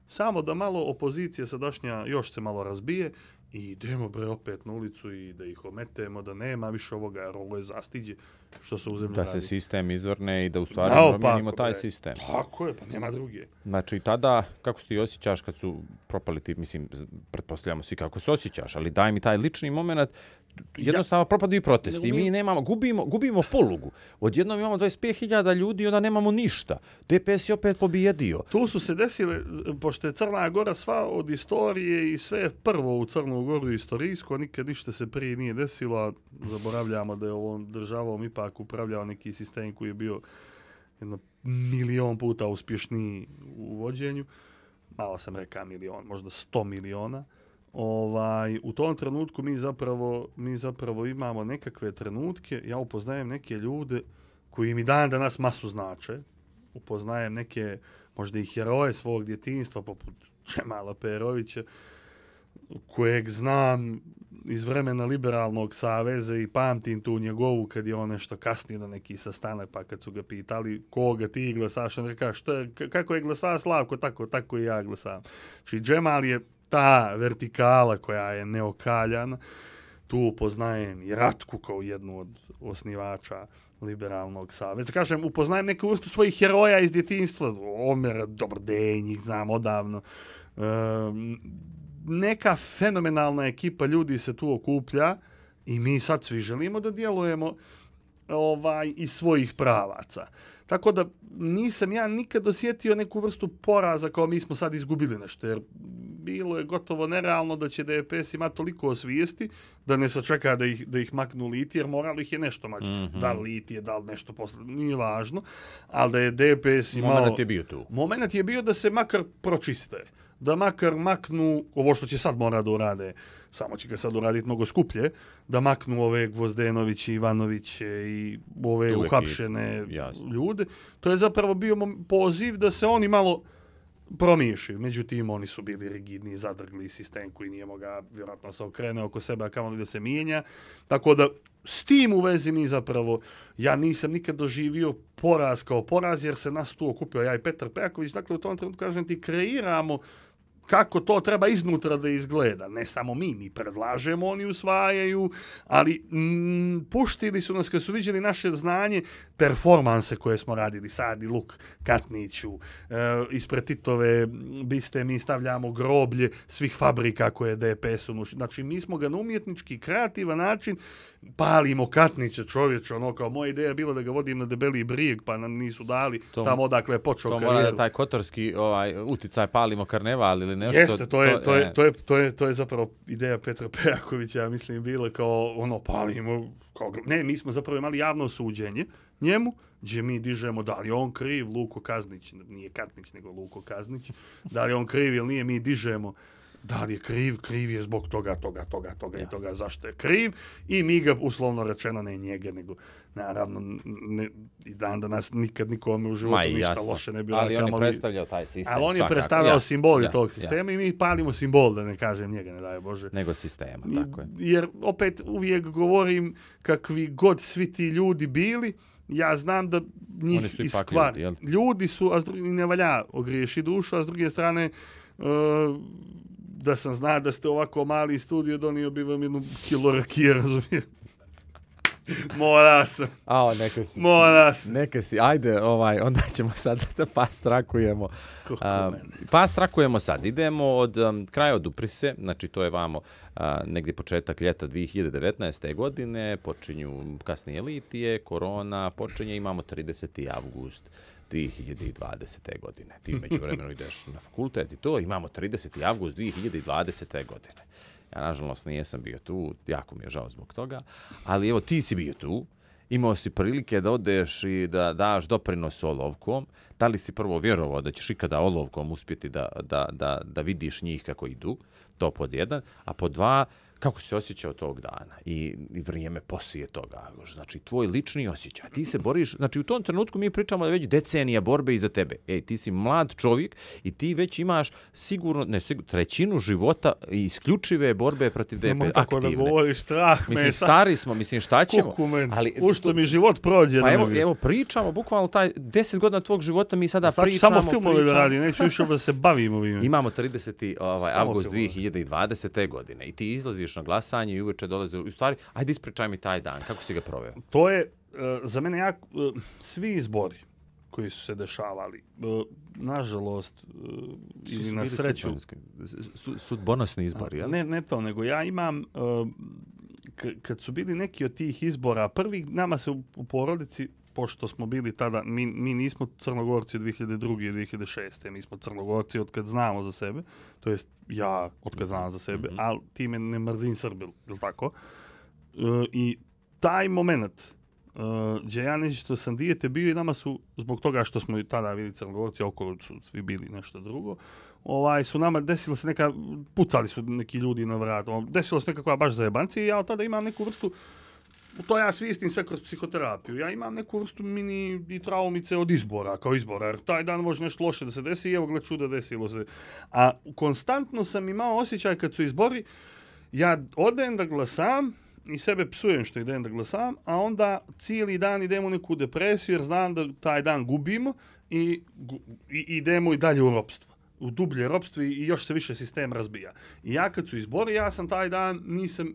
Samo da malo opozicije sadašnja još se malo razbije i idemo bre opet na ulicu i da ih ometemo, da nema više ovoga, jer ovo je zastiđe što se u zemlji da radi. se sistem izvrne i da u stvari no, promijenimo pa, taj bre, sistem. Tako je, pa nema druge. Znači tada, kako se ti osjećaš kad su propali ti, mislim, pretpostavljamo svi kako se osjećaš, ali daj mi taj lični moment, jednostavno ja, propadaju protesti i mi nemamo, gubimo, gubimo polugu. Odjednom imamo dvadeset pet hiljada ljudi i onda nemamo ništa. D P S je opet pobjedio. Tu su se desile, pošto je Crna Gora sva od istorije i sve prvo u Crnu Goru istorijsko, nikad ništa se prije nije desilo, a zaboravljamo da je ovom državom ipak upravljao neki sistem koji je bio jedno milion puta uspješniji u vođenju. Malo sam rekao milion, možda sto miliona. Ovaj, u tom trenutku mi zapravo, mi zapravo imamo nekakve trenutke, ja upoznajem neke ljude koji mi dan danas masu znače, upoznajem neke možda i heroje svog djetinjstva poput Čemala Perovića, kojeg znam iz vremena Liberalnog saveza i pamtim tu njegovu kad je on nešto kasnije na neki sastanak, pa kad su ga pitali koga ti glasaš, on rekao što je, kako je glasa Slavko, tako, tako i ja glasam. Znači Džemal je ta vertikala koja je neokaljana. Tu poznajem i Ratku kao jednu od osnivača Liberalnog saveza. Kažem, upoznajem neku vrstu svojih heroja iz djetinjstva. Omer, Dobrdenj, njih znam odavno. E, neka fenomenalna ekipa ljudi se tu okuplja i mi sad svi želimo da djelujemo ovaj, iz svojih pravaca. Tako da nisam ja nikad osjetio neku vrstu poraza kao mi smo sad izgubili nešto, jer bilo je gotovo nerealno da će D P S imati toliko osvijesti da ne sačeka da ih, da ih maknu liti, jer moralo ih je nešto maći. Mm-hmm. Da li litije, da li nešto posle, nije važno, ali da je D P S imao... Moment je bio tu. Moment je bio da se makar pročiste, da makar maknu ovo što će sad mora da urade, samo će ga sad uraditi mnogo skuplje, da maknu ove Gvozdenoviće, Ivanoviće i ove uvijek uhapšene ljude. To je zapravo bio poziv da se oni malo promišljaju. Međutim, oni su bili rigidni, zadrgli sistem koji nije mogao vjerojatno se okrene oko sebe, a kamoli da se mijenja. Tako da, s tim u vezi mi zapravo, ja nisam nikad doživio poraz kao poraz, jer se nas tu okupio ja i Petar Pejaković. Dakle, u tom trenutku, kažem ti, kreiramo kako to treba iznutra da izgleda. Ne samo mi, mi predlažemo, oni usvajaju, ali mm, puštili su nas kad su viđeli naše znanje, performanse koje smo radili, Sadi, Luk, Katniću, e, ispred Titove biste mi stavljamo groblje svih fabrika koje je D P S unuši. Znači, mi smo ga na umjetnički, kreativan način palimo Katnića, čovječ, ono kao moja ideja je bila da ga vodim na Debeli brijeg, pa nam nisu dali to, tamo odakle je počeo to karijeru. To mora taj kotorski ovaj, uticaj palimo karneval ili nešto. Jeste, to je, to, to, je, to, je, to, je, to je zapravo ideja Petra Pejakovića, ja mislim, bila kao ono palimo, kao, ne, mi smo zapravo imali javno suđenje njemu, gdje mi dižemo da li je on kriv, Luko Kaznić, nije Katnić, nego Luko Kaznić, da li je on kriv ili nije, mi dižemo da li je kriv, kriv je zbog toga, toga, toga, toga Jasne. i toga, zašto je kriv, i mi ga, uslovno rečeno, ne njega, nego, naravno, ne, i dan danas nikad nikome u životu Ma, ništa jasno. loše ne bilo. Ali on je predstavljao taj sistem. Ali on je svakako. predstavljao jasne, simbol jasne, tog sistema jasne. i mi palimo simbol, da ne kažem njega, ne daj Bože. Nego sistema, tako je. Jer, opet, uvijek govorim, kakvi god svi ti ljudi bili, ja znam da njih Oni su ipak iskvar. ljudi, jel? Ljudi su, a s druge, ne valja ogriješi dušu, a s druge strane, uh, da sam zna da ste ovako mali studio, donio bi vam jednu kilo rakije, razumijem. Mora sam. A, neka si. Mora sam. Neka si. Ajde, ovaj, onda ćemo sad da fast trackujemo. Uh, fast trackujemo sad. Idemo od um, kraja od Uprise, znači to je vamo uh, negdje početak ljeta dvije hiljade devetnaeste. godine, počinju kasnije litije, korona, počinje, imamo trideseti avgust dvije hiljade dvadesete. godine. Ti među vremenu ideš na fakultet i to, imamo trideseti avgust dvije hiljade dvadesete. godine. Ja, nažalost, nijesam bio tu, jako mi je žao zbog toga, ali evo, ti si bio tu, imao si prilike da odeš i da daš doprinos olovkom. Da li si prvo vjerovao da ćeš ikada olovkom uspjeti da, da, da, da vidiš njih kako idu, to pod jedan, a pod dva, kako se osjećao tog dana i, i vrijeme poslije toga. Znači, tvoj lični osjećaj. Ti se boriš, znači u tom trenutku mi pričamo da već decenija borbe iza tebe. Ej, ti si mlad čovjek i ti već imaš sigurno, ne sigurno, trećinu života i isključive borbe protiv D P, aktivne. Tako da govoriš, strah me. Mislim, stari smo, mislim, šta ćemo? Kukumen, ali, u što mi život prođe. Pa evo, evo, pričamo, bukvalno taj deset godina tvog života mi sada Sad pričamo. Samo filmove da radi, neću više da se bavim ovim. Imamo trideseti Ovaj, avgust dvije hiljade dvadesete. godine i ti izlaziš na glasanje i uveče dolaze. U stvari, ajde ispričaj mi taj dan, kako si ga proveo? To je, uh, za mene, jako, uh, svi izbori koji su se dešavali, uh, nažalost, uh, ili na sreću... Su, sudbonosni izbori, jel? Ne, ne to, nego ja imam, uh, k- kad su bili neki od tih izbora, prvih nama se u, u porodici, pošto smo bili tada, mi, mi nismo Crnogorci od dvije hiljade druge. i dvije hiljade šeste. Mi smo Crnogorci od kad znamo za sebe, to jest ja od kad znam za sebe, mm-hmm. ali time ne mrzim Srbiju, je li tako? Uh, I taj moment uh, gdje ja nešto sam dijete bio i nama su, zbog toga što smo i tada bili Crnogorci, okolo su svi bili nešto drugo, ovaj, su nama desilo se neka, pucali su neki ljudi na vrat, desilo se nekakva baš zajebancija i ja od tada imam neku vrstu. To ja svistim sve kroz psihoterapiju. Ja imam neku vrstu mini i traumice od izbora, kao izbora, jer taj dan može nešto loše da se desi i evo gle čuda desilo se. A konstantno sam imao osjećaj kad su izbori, ja odem da glasam i sebe psujem što idem da glasam, a onda cijeli dan idemo u neku depresiju jer znam da taj dan gubimo i, i idemo i dalje u ropstvo. U dublje ropstvo i još se više sistem razbija. I ja kad su izbori, ja sam taj dan nisam...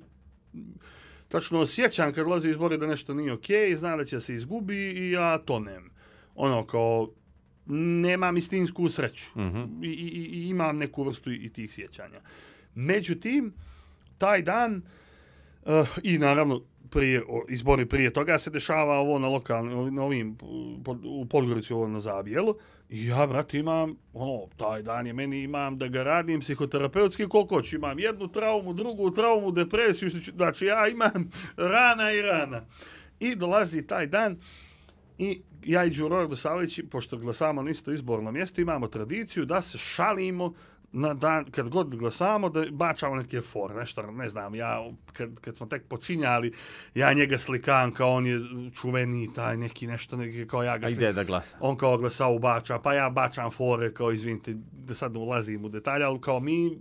Tačno osjećam kad ulazi izbori da nešto nije okej, znam da će se izgubi i ja tonem. Ono kao, nemam istinsku sreću. Mm-hmm. I, i, I imam neku vrstu i, i tih sjećanja. Međutim, taj dan, uh, i naravno prije, o, izbori prije toga se dešava ovo na lokalnim, na ovim, pod, u Podgorici, ovo na Zabijelu. I ja, brate, imam, ono, taj dan je meni imam da ga radim psihoterapeutski koliko hoću. Imam jednu traumu, drugu traumu, depresiju, znači ja imam rana i rana. I dolazi taj dan i ja i Đuro Radosavljević, pošto glasamo na isto izborno mjesto, imamo tradiciju da se šalimo na dan, kad god glasamo, da bačamo neke fore, nešto, ne znam, ja, kad, kad smo tek počinjali, ja njega slikam kao on je čuveni, taj neki nešto, neki, kao ja ga slikam. A ide da glasa. On kao glasao bača, pa ja bačam fore, kao izvinite, da sad ulazim u detalje, ali kao mi,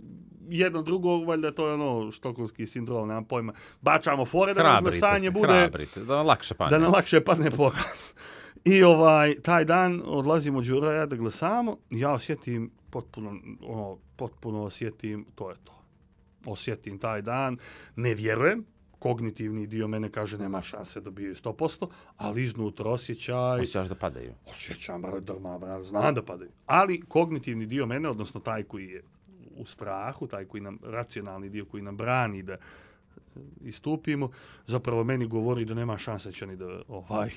jedno drugo, valjda to je ono štokholmski sindrom, nemam pojma, bačamo fore da nam glasanje bude... Hrabrite, da nam lakše padne. Da nam lakše padne poraz. I ovaj, taj dan odlazimo Đura ja da glasamo, ja osjetim potpuno, ono, potpuno osjetim, to je to. Osjetim taj dan, ne vjerujem, kognitivni dio mene kaže nema šanse da dobiju sto posto, ali iznutra osjećaj... Osjećaš da padaju. Osjećam, drma, bral, znam da padaju. Ali kognitivni dio mene, odnosno taj koji je u strahu, taj koji nam, racionalni dio koji nam brani da istupimo, zapravo meni govori da nema šanse će ni da ovaj...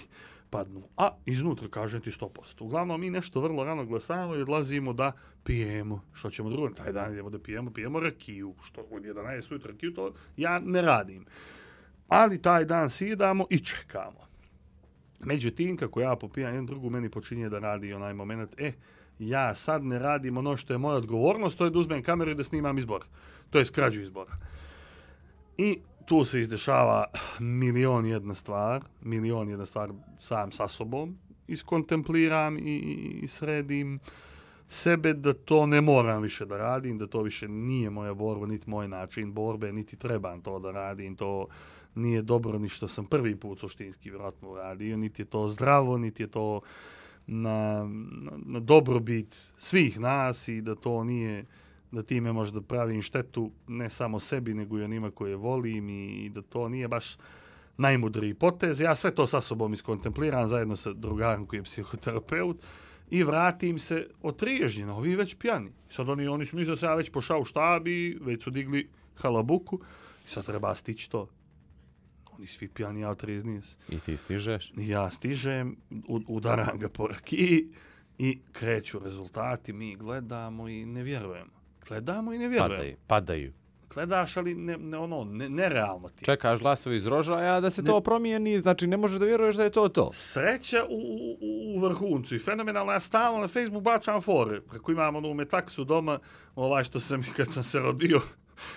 padnu. A iznutra kažem ti sto posto. Uglavnom mi nešto vrlo rano glasamo i odlazimo da pijemo. Što ćemo drugo? Taj dan idemo da pijemo, pijemo rakiju. Što od jedanaest ujutro rakiju, to ja ne radim. Ali taj dan sidamo i čekamo. Međutim, kako ja popijam jedan drugu, meni počinje da radi onaj moment, e, ja sad ne radim ono što je moja odgovornost, to je da uzmem kameru i da snimam izbor. To je skrađu izbora. I tu se izdešava milion jedna stvar, milion jedna stvar sam sa sobom, iskontempliram i, i sredim sebe da to ne moram više da radim, da to više nije moja borba, niti moj način borbe, niti trebam to da radim, to nije dobro ni što sam prvi put suštinski vjerojatno uradio, niti je to zdravo, niti je to na, na, na dobrobit svih nas i da to nije, da time možda pravim štetu ne samo sebi, nego i onima koje volim i, i da to nije baš najmudriji potez. Ja sve to sa sobom iskontempliram zajedno sa drugarom koji je psihoterapeut i vratim se otriježnjeno, ovi već pjani. Sad oni, oni su mislili da se ja već pošao u štabi, već su digli halabuku i sad treba stići to. Oni svi pjani, ja otrijeznije se. I ti stižeš? Ja stižem, udaram ga po rakiji i kreću rezultati, mi gledamo i ne vjerujemo. Gledamo i ne vjerujemo. Padaju, padaju. Gledaš, ali ne, ne, ono, ne, nerealno ti. Čekaš glasovi iz rožaja da se ne, to promijeni, znači ne možeš da vjeruješ da je to to. Sreća u, u, u vrhuncu i fenomenalno. Ja stalno na Facebook bačam fore. Preko imam onu metaksu doma, ovaj što sam, kad sam se rodio,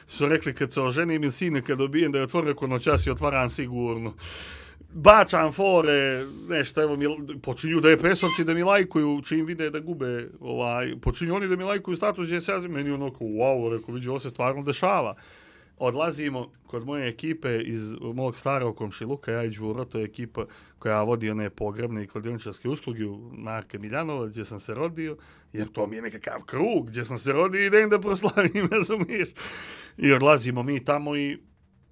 su rekli kad se oženim ili sine kad dobijem da je otvorio ko noćas i otvaram sigurno. Bačam fore, nešto, evo, mi, počinju da je presovci da mi lajkuju, čim vide da gube, ovaj, počinju oni da mi lajkuju status gdje se ja meni onako, wow, rekao, vidi, ovo se stvarno dešava. Odlazimo kod moje ekipe iz mog starog komšiluka, ja i Đuro, to je ekipa koja vodi one pogrebne i kladioničarske usluge u Marka Miljanova, gdje sam se rodio, jer to mi je nekakav krug, gdje sam se rodio i idem da proslavim, razumiješ. I odlazimo mi tamo i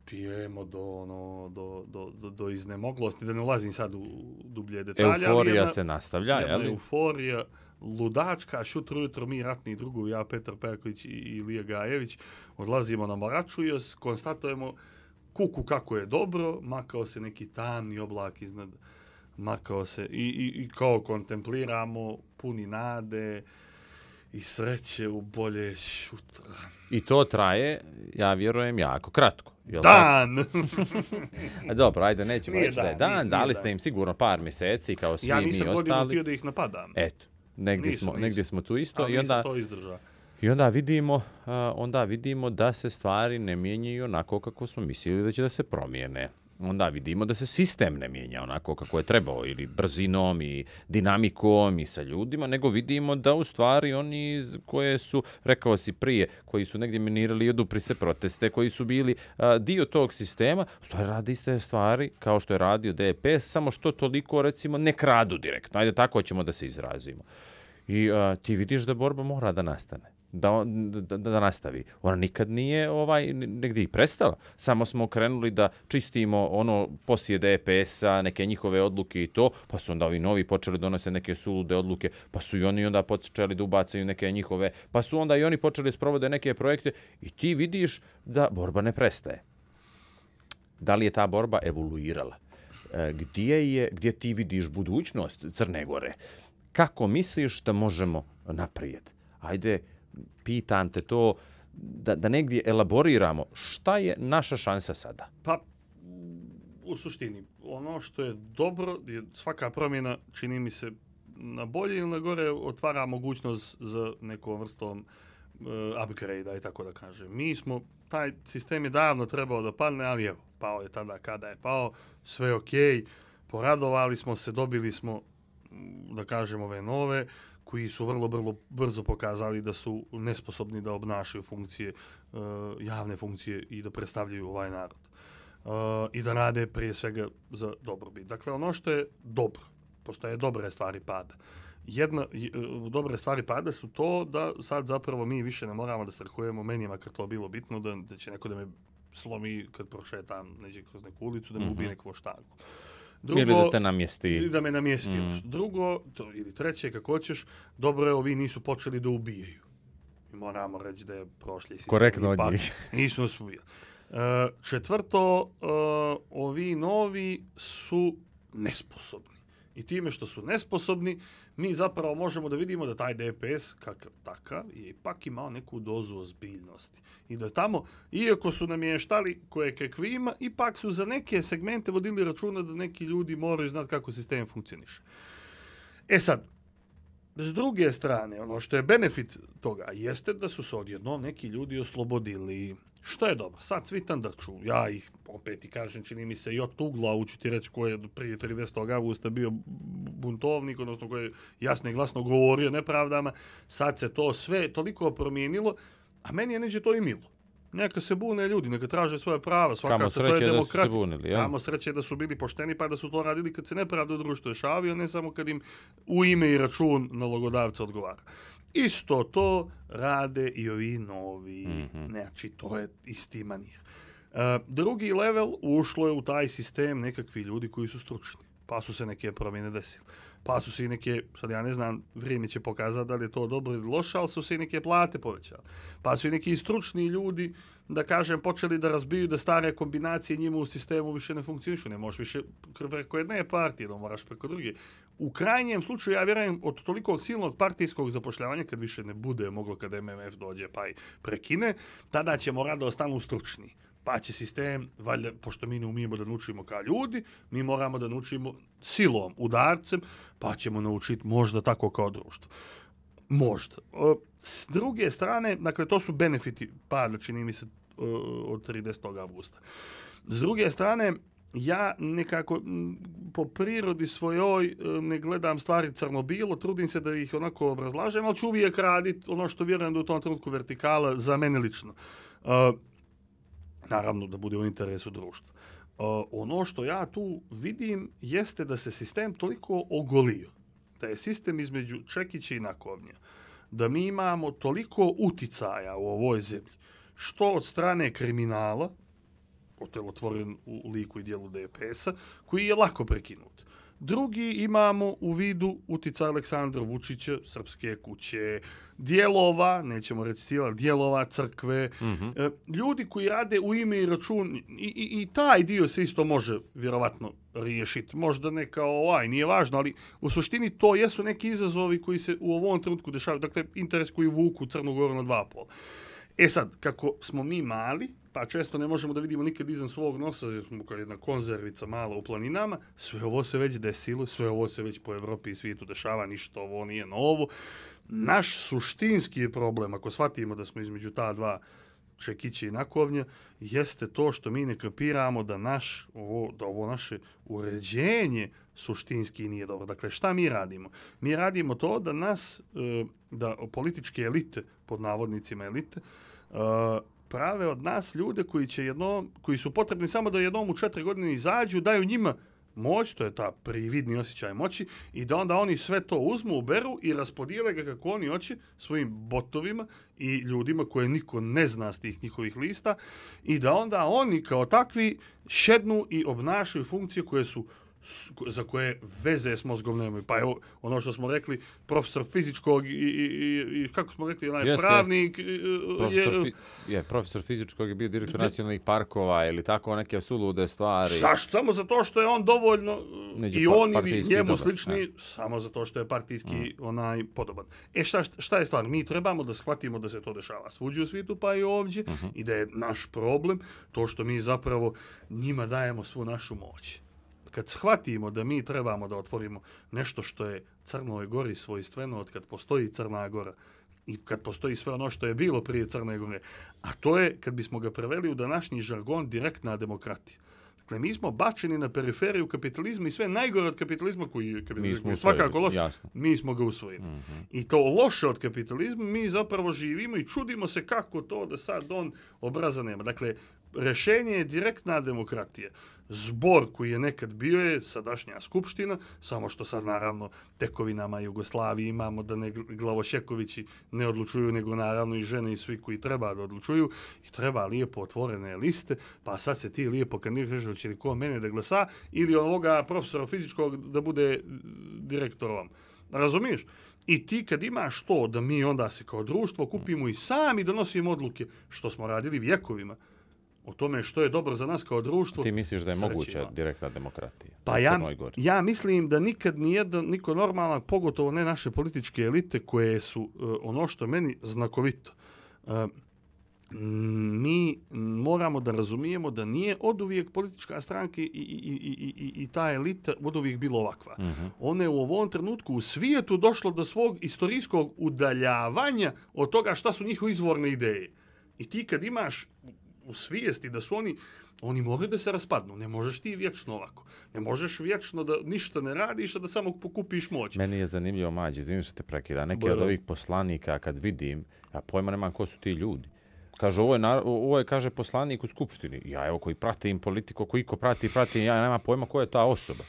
pijemo do, ono, do, do, do, do iznemoglosti, da ne ulazim sad u dublje detalje. Euforija jedna, se nastavlja, je li? Euforija, ludačka, šutro jutro mi ratni drugovi, ja, Petar Perković i Ilija Gajević, odlazimo na Moraču i konstatujemo kuku kako je dobro, makao se neki tamni oblak iznad, makao se i, i, i kao kontempliramo, puni nade i sreće u bolje šutra. I to traje, ja vjerujem, jako kratko. Jel dan! A dobro, ajde, nećemo reći da je dan, nije, dali nije ste dan. im sigurno par mjeseci, kao svi mi ja ostali. nisam godinu htio da ih napadam. Eto, negdje, nisu, smo, nisu. negdje smo tu isto. Ali I onda, to izdrža. I onda vidimo, uh, onda vidimo da se stvari ne mijenjaju onako kako smo mislili da će da se promijene. Onda vidimo da se sistem ne mijenja onako kako je trebao, ili brzinom i dinamikom i sa ljudima, nego vidimo da u stvari oni koje su, rekao si prije, koji su negdje minirali i odupri se proteste, koji su bili a, dio tog sistema, u stvari radi iste stvari kao što je radio D P S, samo što toliko, recimo, ne kradu direktno. Ajde, tako ćemo da se izrazimo. I a, ti vidiš da borba mora da nastane. Da, da, da nastavi. Ona nikad nije ovaj negdje i prestala. Samo smo krenuli da čistimo ono poslije D P S-a, neke njihove odluke i to, pa su onda ovi novi počeli donose neke sulude odluke, pa su i oni onda počeli da ubacaju neke njihove, pa su onda i oni počeli sprovode neke projekte i ti vidiš da borba ne prestaje. Da li je ta borba evoluirala? Gdje je, gdje ti vidiš budućnost Crne Gore? Kako misliš da možemo naprijed? Ajde, pitam te to, da, da negdje elaboriramo, šta je naša šansa sada? Pa, u suštini, ono što je dobro, je svaka promjena, čini mi se, na bolje ili na gore, otvara mogućnost za nekom vrstom uh, upgrade-a i tako da kažem. Mi smo, taj sistem je davno trebao da padne, ali evo, pao je tada kada je pao, sve okej, poradovali smo se, dobili smo, da kažem, ove nove, koji su vrlo, vrlo brzo pokazali da su nesposobni da obnašaju funkcije, uh, javne funkcije i da predstavljaju ovaj narod. Uh, I da rade prije svega za dobrobit. Dakle, ono što je dobro, postoje dobre stvari pada. Jedna, uh, dobre stvari pada su to da sad zapravo mi više ne moramo da strahujemo, meni je makar to bilo bitno, da, da će neko da me slomi kad prošetam neđe kroz neku ulicu, da me mm-hmm. ubije neku štagu. Drugo, ili da te namjesti. Ili da me namjesti. Mm. Drugo, to, ili treće, kako hoćeš, dobro je, ovi nisu počeli da ubijaju. I moramo reći da je prošli sistem. Korektno od njih. Nisu nas ubijali. Uh, četvrto, uh, ovi novi su nesposobni. I time što su nesposobni, mi zapravo možemo da vidimo da taj D P S, kakav takav, je ipak imao neku dozu ozbiljnosti. I da tamo, iako su namještali koje kakvima, ipak su za neke segmente vodili računa da neki ljudi moraju znati kako sistem funkcioniše. E sad, s druge strane, ono što je benefit toga jeste da su se odjednom neki ljudi oslobodili. Što je dobro, sad svi tandrču, ja ih opet i kažem, čini mi se i od ugla, uću ti reći ko je prije tridesetog avgusta bio buntovnik, odnosno ko je jasno i glasno govorio nepravdama, sad se to sve toliko promijenilo, a meni je neđe to i milo. Neka se bune ljudi, neka traže svoje prava, svakako to je demokratija. Kamo sreće da su bili pošteni pa da su to radili kad se nepravda u društvu dešavio, ne samo kad im u ime i račun nalogodavca odgovara. Isto to rade i ovi novi, mm-hmm. Znači to je isti manir. Uh, drugi level ušlo je u taj sistem nekakvi ljudi koji su stručni, pa su se neke promjene desile. Pa su se i neke, sad ja ne znam, vrijeme će pokazati da li je to dobro ili loše, ali su se i neke plate povećale. Pa su i neki stručni ljudi, da kažem, počeli da razbiju da stare kombinacije njima u sistemu više ne funkcionišu. Ne možeš više preko jedne partije, da moraš preko druge. U krajnjem slučaju, ja vjerujem, od tolikog silnog partijskog zapošljavanja, kad više ne bude moglo, kad M M F dođe pa i prekine, tada ćemo rado ostanu stručni. Pa će sistem, valjda, pošto mi ne umijemo da naučimo kao ljudi, mi moramo da naučimo silom, udarcem, pa ćemo naučiti možda tako kao društvo. Možda. S druge strane, dakle, to su benefiti pada, čini mi se, od tridesetog avgusta. S druge strane, ja nekako po prirodi svojoj ne gledam stvari crno-bilo, trudim se da ih onako obrazlažem, ali ću uvijek raditi ono što vjerujem da u tom trenutku vertikala za mene lično. Naravno da bude u interesu društva. Uh, ono što ja tu vidim jeste da se sistem toliko ogolio, da je sistem između čekića i nakovnja, da mi imamo toliko uticaja u ovoj zemlji, što od strane kriminala, otelotvoren u liku i dijelu D P S-a, koji je lako prekinut. Drugi imamo u vidu uticaj Aleksandra Vučića, Srpske kuće, dijelova, nećemo reći sila, dijelova crkve, mm-hmm. ljudi koji rade u ime i račun, i, i, i taj dio se isto može vjerovatno riješiti. Možda ne kao ovaj, nije važno, ali u suštini to jesu neki izazovi koji se u ovom trenutku dešavaju. Dakle, interes koji vuku Crnu Goru na dva pola. E sad, kako smo mi mali, pa često ne možemo da vidimo nikad izvan svog nosa, jer smo kao jedna konzervica mala u planinama, sve ovo se već desilo, sve ovo se već po Evropi i svijetu dešava, ništa ovo nije novo. Naš suštinski problem, ako shvatimo da smo između ta dva čekića i nakovnja, jeste to što mi ne kapiramo da, naš, ovo, da ovo naše uređenje suštinski nije dobro. Dakle, šta mi radimo? Mi radimo to da nas, da političke elite, pod navodnicima elite, prave od nas ljude koji će jednom, koji su potrebni samo da jednom u četiri godine izađu, daju njima moć, to je ta prividni osjećaj moći, i da onda oni sve to uzmu, uberu i raspodijele ga kako oni hoće svojim botovima i ljudima koje niko ne zna s tih njihovih lista, i da onda oni kao takvi šednu i obnašaju funkcije koje su za koje veze s mozgom nemaju. Pa evo, ono što smo rekli, profesor fizičkog i, i, i kako smo rekli, onaj jest, pravnik... Jest. Profesor, je, fi, je, profesor fizičkog je bio direktor de, nacionalnih parkova ili tako neke sulude stvari. Saš, samo zato što je on dovoljno Neđe i on ili njemu dobar, slični, ne. Samo zato što je partijski mm. onaj podoban. E šta, šta je stvar? Mi trebamo da shvatimo da se to dešava svuđe u svijetu, pa i ovdje, mm-hmm. i da je naš problem to što mi zapravo njima dajemo svu našu moć. Kad shvatimo da mi trebamo da otvorimo nešto što je Crnoj Gori svojstveno od kad postoji Crna Gora i kad postoji sve ono što je bilo prije Crne Gore, a to je, kad bismo ga preveli u današnji žargon, direktna demokratija. Dakle, mi smo bačeni na periferiju kapitalizma i sve najgore od kapitalizma koji je kapitalizam, mi svakako loš, mi smo ga usvojili. Mm-hmm. I to loše od kapitalizma mi zapravo živimo i čudimo se kako to da sad on obraza nema. Dakle, rešenje je direktna demokratija. Zbor koji je nekad bio je sadašnja skupština, samo što sad naravno tekovinama Jugoslavije imamo da ne glavošekovići ne odlučuju, nego naravno i žene i svi koji treba da odlučuju, i treba lijepo otvorene liste, pa sad se ti lijepo kandidiraš, će li ko mene da glasa ili ovoga profesora fizičkog da bude direktorom. Razumiješ? I ti kad imaš to da mi onda se kao društvo kupimo i sami donosimo odluke, što smo radili vjekovima, o tome što je dobro za nas kao društvo. Ti misliš da je sreće moguća imamo. direktna demokratija Pa u ja, Crnoj Gori? ja mislim da nikad nijedan, niko normalan, pogotovo ne naše političke elite koje su uh, ono što meni znakovito. Uh, mi moramo da razumijemo da nije oduvijek politička stranka i, i, i, i, i ta elita oduvijek bila ovakva. Uh-huh. Ona je u ovom trenutku u svijetu došlo do svog istorijskog udaljavanja od toga šta su njihove izvorne ideje. I ti kad imaš u svijesti da su oni Oni moraju da se raspadnu. Ne možeš ti vječno ovako. Ne možeš vječno da ništa ne radiš, a da samo pokupiš moć. Meni je zanimljivo, Mađi, izvini što te prekida. Neki Bojlo. od ovih poslanika, kad vidim, ja pojma nemam ko su ti ljudi. Kaže, ovo je, na, ovo je, kaže, poslanik u Skupštini. Ja, evo, koji pratim politiku, koji ko prati, pratim, ja nemam pojma ko je ta osoba.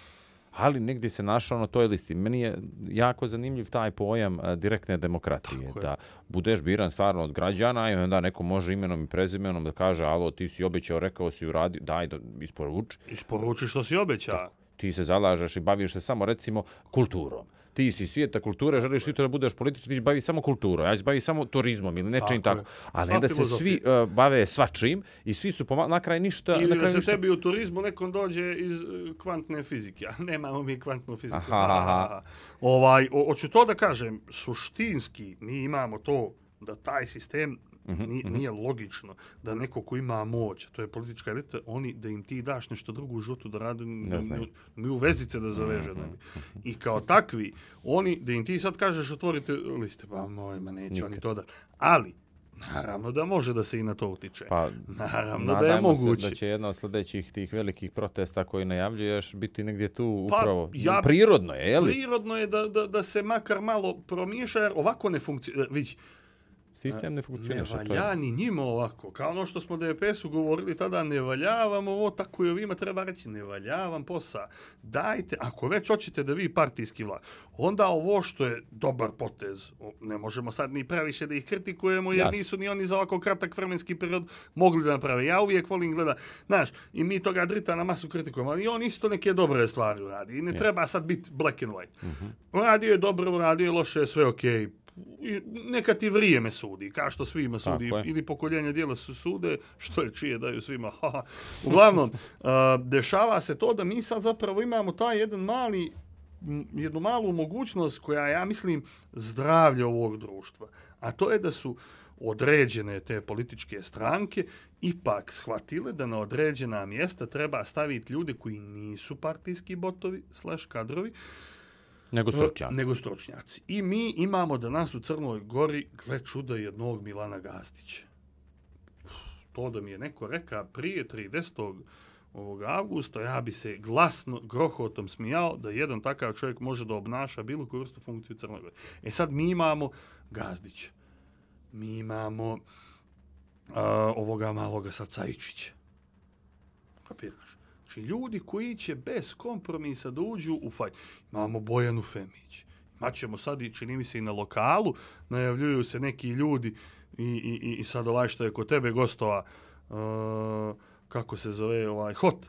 Ali negdje se našao na toj listi. Meni je jako zanimljiv taj pojam a, direktne demokratije. Da budeš biran stvarno od građana i onda neko može imenom i prezimenom da kaže, alo, ti si obećao, rekao si, uradio, daj, do, isporuči. Isporuči što si obećao. Ti se zalažeš i baviš se samo, recimo, kulturom. Ti si svijeta kulture, želiš ti to da budeš politički, ti će bavi samo kulturom, ja ću bavi samo turizmom ili nečim tako. tako. A ne da se svi uh, bave svačim i svi su poma- na kraj ništa... Ili na kraj da se ništa... tebi u turizmu nekom dođe iz uh, kvantne fizike. Nemamo mi kvantnu fiziku. Aha, aha. Ovaj, o, hoću to da kažem, suštinski mi imamo to da taj sistem Nije, nije logično da neko ko ima moć, to je politička elita, oni da im ti daš nešto drugo u životu da rade, mi, mi u vezice da zaveže. Mm-hmm. I kao takvi, oni, da im ti sad kažeš otvorite liste, pa moj, ma neće Nikad. Oni to da. Ali, naravno da može da se i na to utiče. Pa, naravno da je moguće. Se da će jedna od sljedećih tih velikih protesta koji najavljuješ biti negdje tu pa, upravo. Ja, prirodno je, je li? Prirodno je da, da, da se makar malo promiješa, jer ovako ne funkcionira. Vidi, sistem ne funkcioniše. Ne valja ni njima ovako. Kao ono što smo D P S-u govorili tada, ne valjavam ovo, tako i ovima treba reći, ne valjavam posao. Dajte, ako već hoćete da vi partijski vlad, onda ovo što je dobar potez, ne možemo sad ni previše da ih kritikujemo, jer Jasne. nisu ni oni za ovako kratak vremenski period mogli da naprave. Ja uvijek volim gleda, znaš, i mi toga drita na masu kritikujemo, ali on isto neke dobre stvari uradi. I ne Jasne. treba sad biti black and white. Uh-huh. Radio je dobro, radio je loše, sve okej. Okay. Neka ti vrijeme sudi, kao što svima sudi, ili pokoljenja dijela su sude, što je čije daju svima. Uglavnom, uh, dešava se to da mi sad zapravo imamo taj jedan mali, jednu malu mogućnost koja, ja mislim, zdravlje ovog društva. A to je da su određene te političke stranke ipak shvatile da na određena mjesta treba staviti ljude koji nisu partijski botovi slash kadrovi, Nego stručnjaci. Nego stručnjaci. I mi imamo danas u Crnoj Gori, gle čuda, jednog Milana Gazdića. To da mi je neko reka prije tridesetog avgusta, ja bi se glasno, grohotom smijao da jedan takav čovjek može da obnaša bilo koju vrstu funkciju u Crnoj Gori. E sad mi imamo Gazdića. Mi imamo uh, ovoga maloga sad Cajičića. Kapiraš? Znači, ljudi koji će bez kompromisa da uđu u fajt. Imamo Bojanu Femić. Imaćemo sad, i čini mi se, i na lokalu, najavljuju se neki ljudi i, i, i sad ovaj što je kod tebe gostova, uh, kako se zove, ovaj, hot.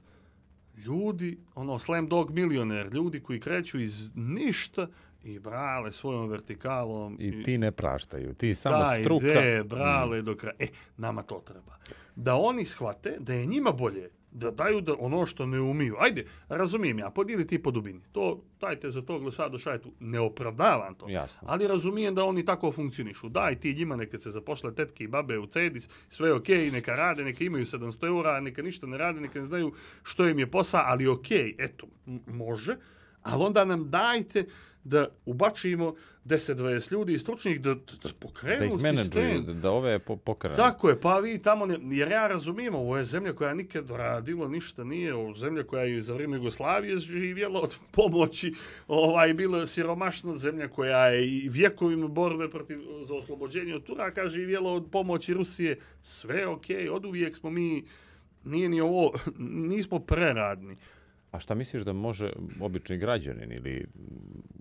Ljudi, ono, slam dog milioner, ljudi koji kreću iz ništa i brale svojom vertikalom. I, i ti ne praštaju, ti samo taj struka. Taj brale mm. do kraja. E, nama to treba. Da oni shvate da je njima bolje da daju da ono što ne umiju. Ajde, razumijem ja, podijeli ti po dubini. To, dajte za to glesado šajtu, ne opravdavam to. Jasno. Ali razumijem da oni tako funkcionišu. Daj ti njima, neka se zapošle tetke i babe u Cedis, sve ok, neka rade, neka imaju sedamsto eura, neka ništa ne rade, neka ne znaju što im je posao, ali ok, eto, m- može. Ali onda nam dajte da ubačimo deset dvadeset ljudi stručnih da, da, da pokrenu sistem. Da ih menadžuju, da, da ove po, pokrenu. Tako je, pa vi tamo, ne, jer ja razumijem, ovo je zemlja koja nikad radilo ništa nije, ovo zemlja koja je za vrijeme Jugoslavije živjela od pomoći, ovaj, bila siromašna zemlja koja je i vjekovima borbe protiv, za oslobođenje od Turaka živjela od pomoći Rusije, sve ok, od uvijek smo mi, nije ni ovo, nismo preradni. A šta misliš da može obični građanin ili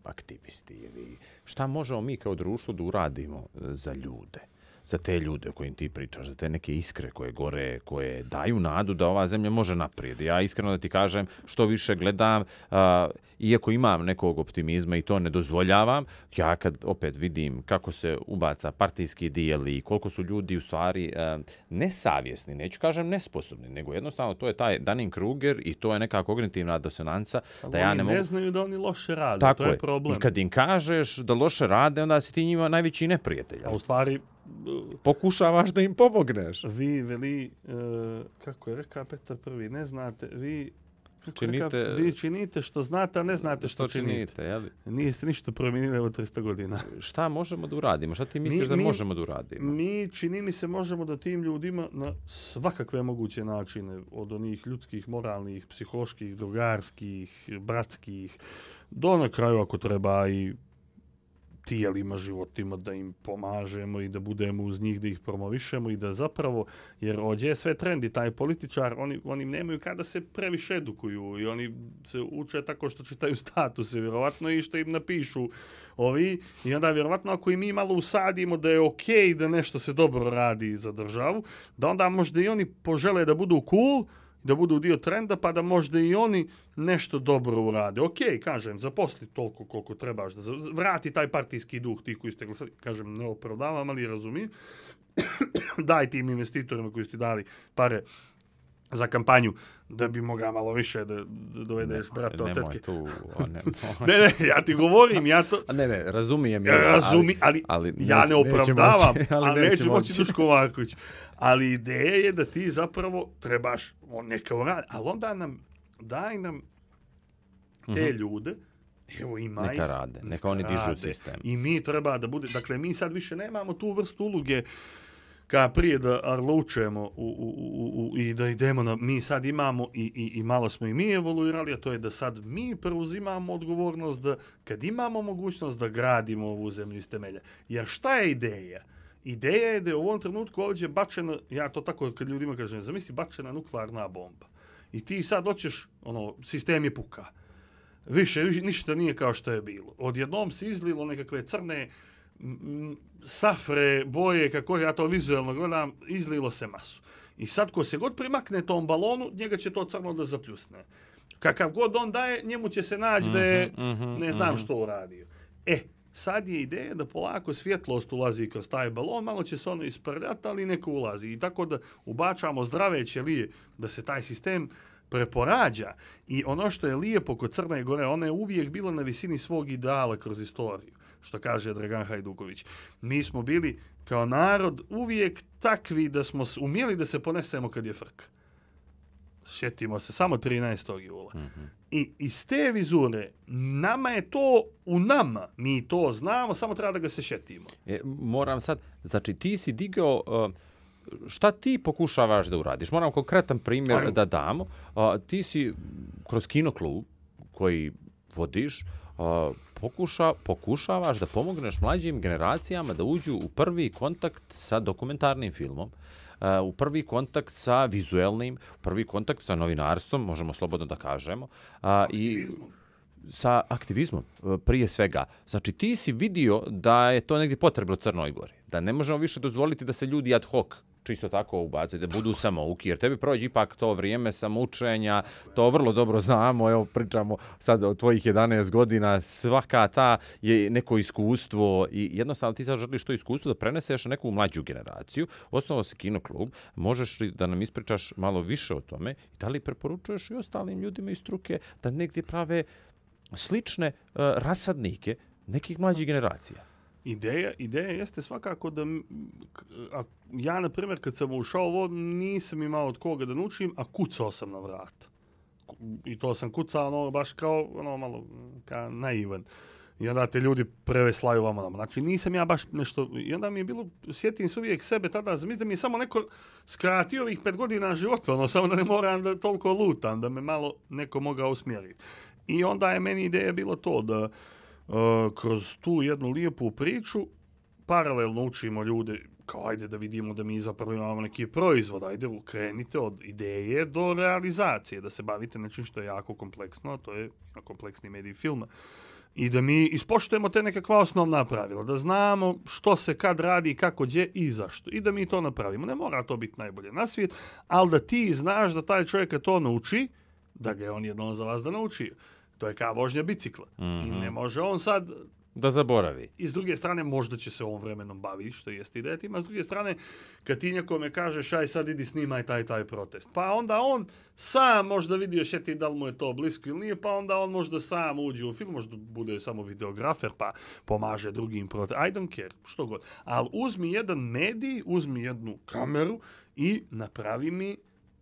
aktivisti ili šta možemo mi kao društvo da uradimo za ljude? za te ljude o kojim ti pričaš, za te neke iskre koje gore, koje daju nadu da ova zemlja može naprijed. Ja iskreno da ti kažem, što više gledam, uh, iako imam nekog optimizma i to ne dozvoljavam, ja kad opet vidim kako se ubaca partijski dijel i koliko su ljudi u stvari uh, nesavjesni, neću kažem nesposobni, nego jednostavno to je taj Dunning-Kruger i to je neka kognitivna disonanca. Da ja oni ne, ne mogu... znaju da oni loše rade, Tako to je, je problem. I kad im kažeš da loše rade, onda si ti njima najveći neprijatelj. A u stvari, pokušavaš da im pomogneš. Vi veli, uh, kako je rekao Petar Prvi, ne znate, vi, kako činite, rekao, vi činite što znate, a ne znate što, što činite. činite jeli? Nije se ništa promijenilo od tristo godina. Šta možemo da uradimo? Šta ti misliš mi, da mi, možemo da uradimo? Mi, čini mi se, možemo da tim ljudima na svakakve moguće načine, od onih ljudskih, moralnih, psiholoških, drugarskih, bratskih, do na kraju ako treba i tijelima, životima, da im pomažemo i da budemo uz njih, da ih promovišemo i da zapravo, jer ođe je sve trendi, taj političar, oni, oni nemaju kada se previše edukuju i oni se uče tako što čitaju statuse, vjerovatno i što im napišu ovi, i onda vjerovatno ako i mi malo usadimo da je okej okay, da nešto se dobro radi za državu, da onda možda i oni požele da budu cool, da budu dio trenda, pa da možda i oni nešto dobro urade. Ok, kažem, zaposli toliko koliko trebaš, da vrati taj partijski duh, ti koji ste glasali, kažem, ne opravdavam, ali razumijem. Daj tim investitorima koji ste dali pare za kampanju, da bi mogao malo više da, da dovedeš brata od tetke. Tu, o, ne, ne, ne, ja ti govorim, ja to... Ne, ne, razumijem. Ja, razumi, ali, ali, ali ja ne opravdavam, moći, ali, ali neću moći Duško Marković. Ali ideja je da ti zapravo trebaš neka uradi, ali onda nam, daj nam te mm-hmm. ljude, evo ima neka ih, rade, neka, neka oni dižu sistem. I mi treba da bude, dakle mi sad više nemamo tu vrstu uloge ka prije da arlučujemo u, u, u, u, i da idemo na, mi sad imamo i, i, i malo smo i mi evoluirali, a to je da sad mi preuzimamo odgovornost da kad imamo mogućnost da gradimo ovu zemlju iz temelja. Jer šta je ideja? Ideja je da je u ovom trenutku ovdje bačena, ja to tako kad ljudima kažem, zamisli bačena nuklearna bomba. I ti sad hoćeš, ono, sistem je puka. Više, više ništa nije kao što je bilo. Odjednom se izlilo nekakve crne m, safre, boje, kako ja to vizualno gledam, izlilo se masu. I sad ko se god primakne tom balonu, njega će to crno da zapljusne. Kakav god on daje, njemu će se naći da je, mm-hmm, ne znam mm-hmm. što uradio. E, sad je ideja da polako svjetlost ulazi kroz taj balon, malo će se ono isprljati, ali neko ulazi. I tako da ubačamo zdrave ćelije, da se taj sistem preporađa. I ono što je lijepo kod Crne Gore, ona je uvijek bila na visini svog ideala kroz istoriju, što kaže Dragan Hajduković. Mi smo bili kao narod uvijek takvi da smo umjeli da se ponesemo kad je frka. Sjetimo se, samo trinaestog jula. Mm-hmm. I iz te vizure, nama je to u nama, mi to znamo, samo treba da ga se šetimo. E, moram sad, znači ti si digao, uh, šta ti pokušavaš da uradiš? Moram konkretan primjer Ajmo. da damo. Uh, ti si kroz kinoklub koji vodiš, uh, pokuša, pokušavaš da pomogneš mlađim generacijama da uđu u prvi kontakt sa dokumentarnim filmom, Uh, u prvi kontakt sa vizuelnim, u prvi kontakt sa novinarstvom, možemo slobodno da kažemo, uh, i sa aktivizmom uh, prije svega. Znači ti si vidio da je to negdje potrebno Crnoj Gori, da ne možemo više dozvoliti da se ljudi ad hoc čisto tako ubace, da budu samouki, jer tebi prođe ipak to vrijeme samoučenja, to vrlo dobro znamo, evo pričamo sad o tvojih jedanaest godina, svaka ta je neko iskustvo i jednostavno ti sad želiš to iskustvo da preneseš na neku mlađu generaciju. Osnovao se kinoklub, možeš li da nam ispričaš malo više o tome i da li preporučuješ i ostalim ljudima iz struke da negdje prave slične uh, rasadnike nekih mlađih generacija? Ideja, ideja jeste svakako da a, ja, na primjer, kad sam ušao ovo, nisam imao od koga da naučim, a kucao sam na vrata. I to sam kucao ono, baš kao ono, malo kao naivan. I onda te ljudi preveslaju vama nama. Znači, nisam ja baš nešto... I onda mi je bilo, sjetim se uvijek sebe tada, mislim da mi je samo neko skratio ovih pet godina života, ono, samo da ne moram da toliko lutam, da me malo neko mogao usmjeriti. I onda je meni ideja bilo to da Uh, kroz tu jednu lijepu priču paralelno učimo ljude kao ajde da vidimo da mi zapravo imamo neki proizvod, ajde krenite od ideje do realizacije, da se bavite nečim što je jako kompleksno, a to je kompleksni medij filma. i da mi ispoštujemo te nekakva osnovna pravila, da znamo što se kad radi, kako gdje i zašto. I da mi to napravimo. Ne mora to biti najbolje na svijet, ali da ti znaš da taj čovjek kad to nauči, da ga je on jednom za vas da nauči. To je kao vožnja bicikla. Mm-hmm. I ne može on sad... Da zaboravi. I s druge strane, možda će se ovom vremenom baviti, što jeste ideja tima. S druge strane, kad ti nekome kažeš, aj sad idi snimaj taj taj protest. Pa onda on sam možda vidio šeti da li mu je to blisko ili nije, pa onda on možda sam uđe u film, možda bude samo videografer, pa pomaže drugim protest. I don't care, što god. Ali uzmi jedan medij, uzmi jednu kameru i napravi mi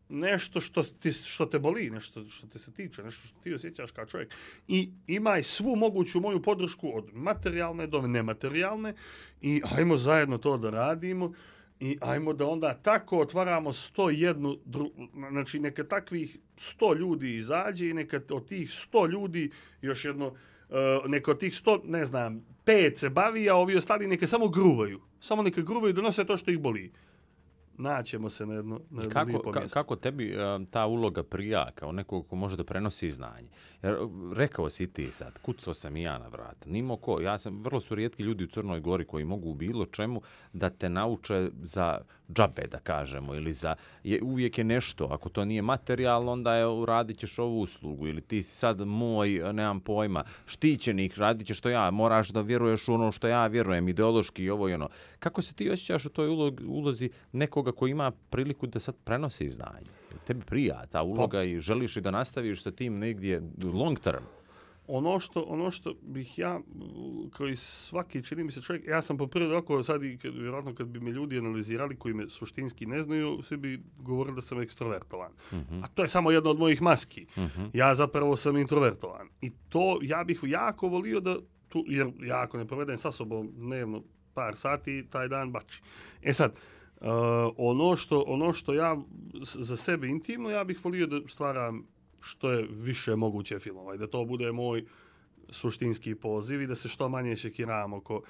nešto što, ti, što te boli, nešto što te se tiče, nešto što ti osjećaš kao čovjek. I imaj svu moguću moju podršku od materijalne do nematerijalne i ajmo zajedno to da radimo i ajmo da onda tako otvaramo sto jedan, dru, znači neka takvih sto ljudi izađe i neka od tih sto ljudi još jedno, uh, neka od tih sto, ne znam, pet se bavi, a ovi ostali neka samo gruvaju. Samo neka gruvaju i donose to što ih boli. Naćemo se na jedno, na jedno kako, lijepo mjesto. Kako tebi uh, ta uloga prija kao nekog ko može da prenosi znanje? Jer rekao si ti sad, kucao sam i ja na vrata. Nimo ko, ja sam, vrlo su rijetki ljudi u Crnoj Gori koji mogu u bilo čemu da te nauče za džabe, da kažemo, ili za, je, uvijek je nešto, ako to nije materijalno, onda je uradit ćeš ovu uslugu, ili ti si sad moj, nemam pojma, štićenik, radit ćeš što ja, moraš da vjeruješ u ono što ja vjerujem, ideološki i ovo i ono. Kako se ti osjećaš u toj ulog, ulozi nekog koji ima priliku da sad prenosi znanje? Tebi prija ta uloga pa, i želiš i da nastaviš sa tim negdje long term? Ono što, ono što bih ja, koji svaki, čini mi se čovjek, ja sam po prirodi oko sad i kad, vjerojatno kad bi me ljudi analizirali koji me suštinski ne znaju, svi bi govorili da sam ekstrovertovan. Mm-hmm. A to je samo jedna od mojih maski. Mm-hmm. Ja zapravo sam introvertovan. I to ja bih jako volio da, tu, jer ja ako ne provedem sa sobom dnevno par sati, taj dan bači. E sad, Uh, ono, što, ono što ja za sebe intimno, ja bih volio da stvaram što je više moguće filmova i da to bude moj suštinski poziv i da se što manje šekiram oko,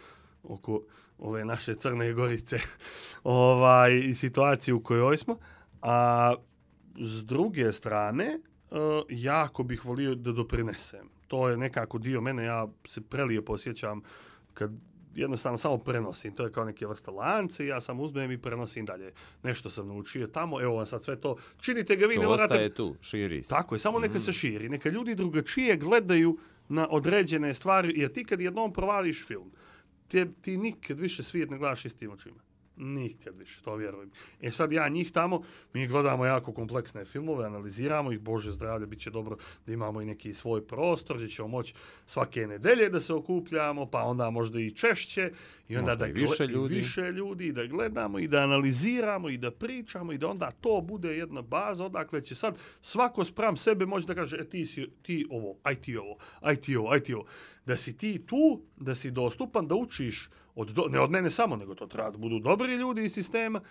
oko ove naše Crne Gorice ovaj, i situacije u kojoj smo. A s druge strane, uh, jako bih volio da doprinesem. To je nekako dio mene, ja se prelijepo osjećam kad jednostavno samo prenosim. To je kao neke vrste lance i ja sam uzmem i prenosim dalje. Nešto sam naučio tamo, evo vam sad sve to. Činite ga vi, to ne morate... To ostaje tu, širi se. Tako je, samo neka mm. se širi. Neka ljudi drugačije gledaju na određene stvari, jer ti kad jednom provališ film, ti, ti nikad više svijet ne gledaš istim očima. Nikad više, to vjerujem. E sad ja njih tamo, mi gledamo jako kompleksne filmove, analiziramo ih, Bože zdravlje, bit će dobro da imamo i neki svoj prostor, gdje ćemo moći svake nedelje da se okupljamo, pa onda možda i češće, i onda da i više, gle- ljudi. više ljudi, da gledamo i da analiziramo i da pričamo i da onda to bude jedna baza, odakle će sad svako spram sebe moći da kaže, e ti si ti ovo, aj ti ovo, aj ti ovo, aj ti ovo. Da si ti tu, da si dostupan, da učiš od do, ne od mene samo, nego to treba da budu dobri ljudi iz sistema,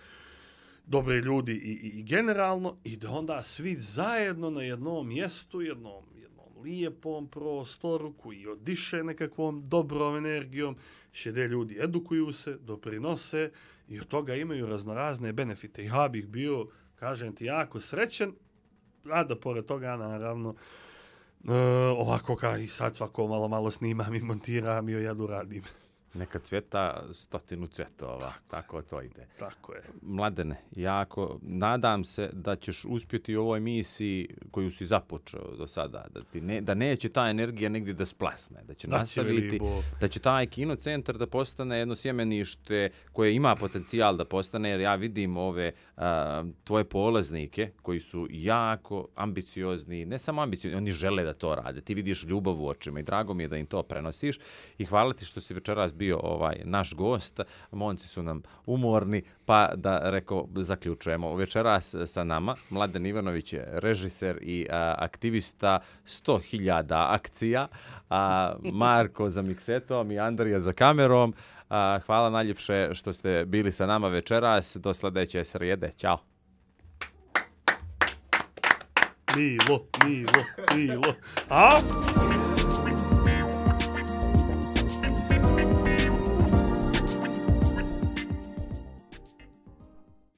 dobri ljudi i, i, i generalno, i da onda svi zajedno na jednom mjestu, jednom, jednom lijepom prostoru koji odiše nekakvom dobrom energijom, šede ljudi edukuju se, doprinose i od toga imaju raznorazne benefite. I ja bih bio, kažem ti, jako srećen, a da pored toga, naravno, uh, ovako kao i sad svako malo malo snimam i montiram i jadu radim. Neka cvjeta stotinu cvjetova, tako, tako to ide. Tako je. Mladene, jako nadam se da ćeš uspjeti u ovoj misiji koju si započeo do sada, da, ti ne, da neće ta energija negdje da splasne, da će da nastaviti, će da će taj kino centar da postane jedno sjemenište koje ima potencijal da postane, jer ja vidim ove a, tvoje polaznike koji su jako ambiciozni, ne samo ambiciozni, oni žele da to rade, ti vidiš ljubav u očima i drago mi je da im to prenosiš i hvala ti što si večeras bio bio ovaj naš gost. Momci su nam umorni, pa da reko zaključujemo. Večeras sa nama Mladen Ivanović je režiser i a, aktivista sto hiljada akcija, a Marko za miksetom i Andrija za kamerom. A, hvala najljepše što ste bili sa nama večeras. Do sljedeće srijede. Ćao. Milo, Milo, Milo. A?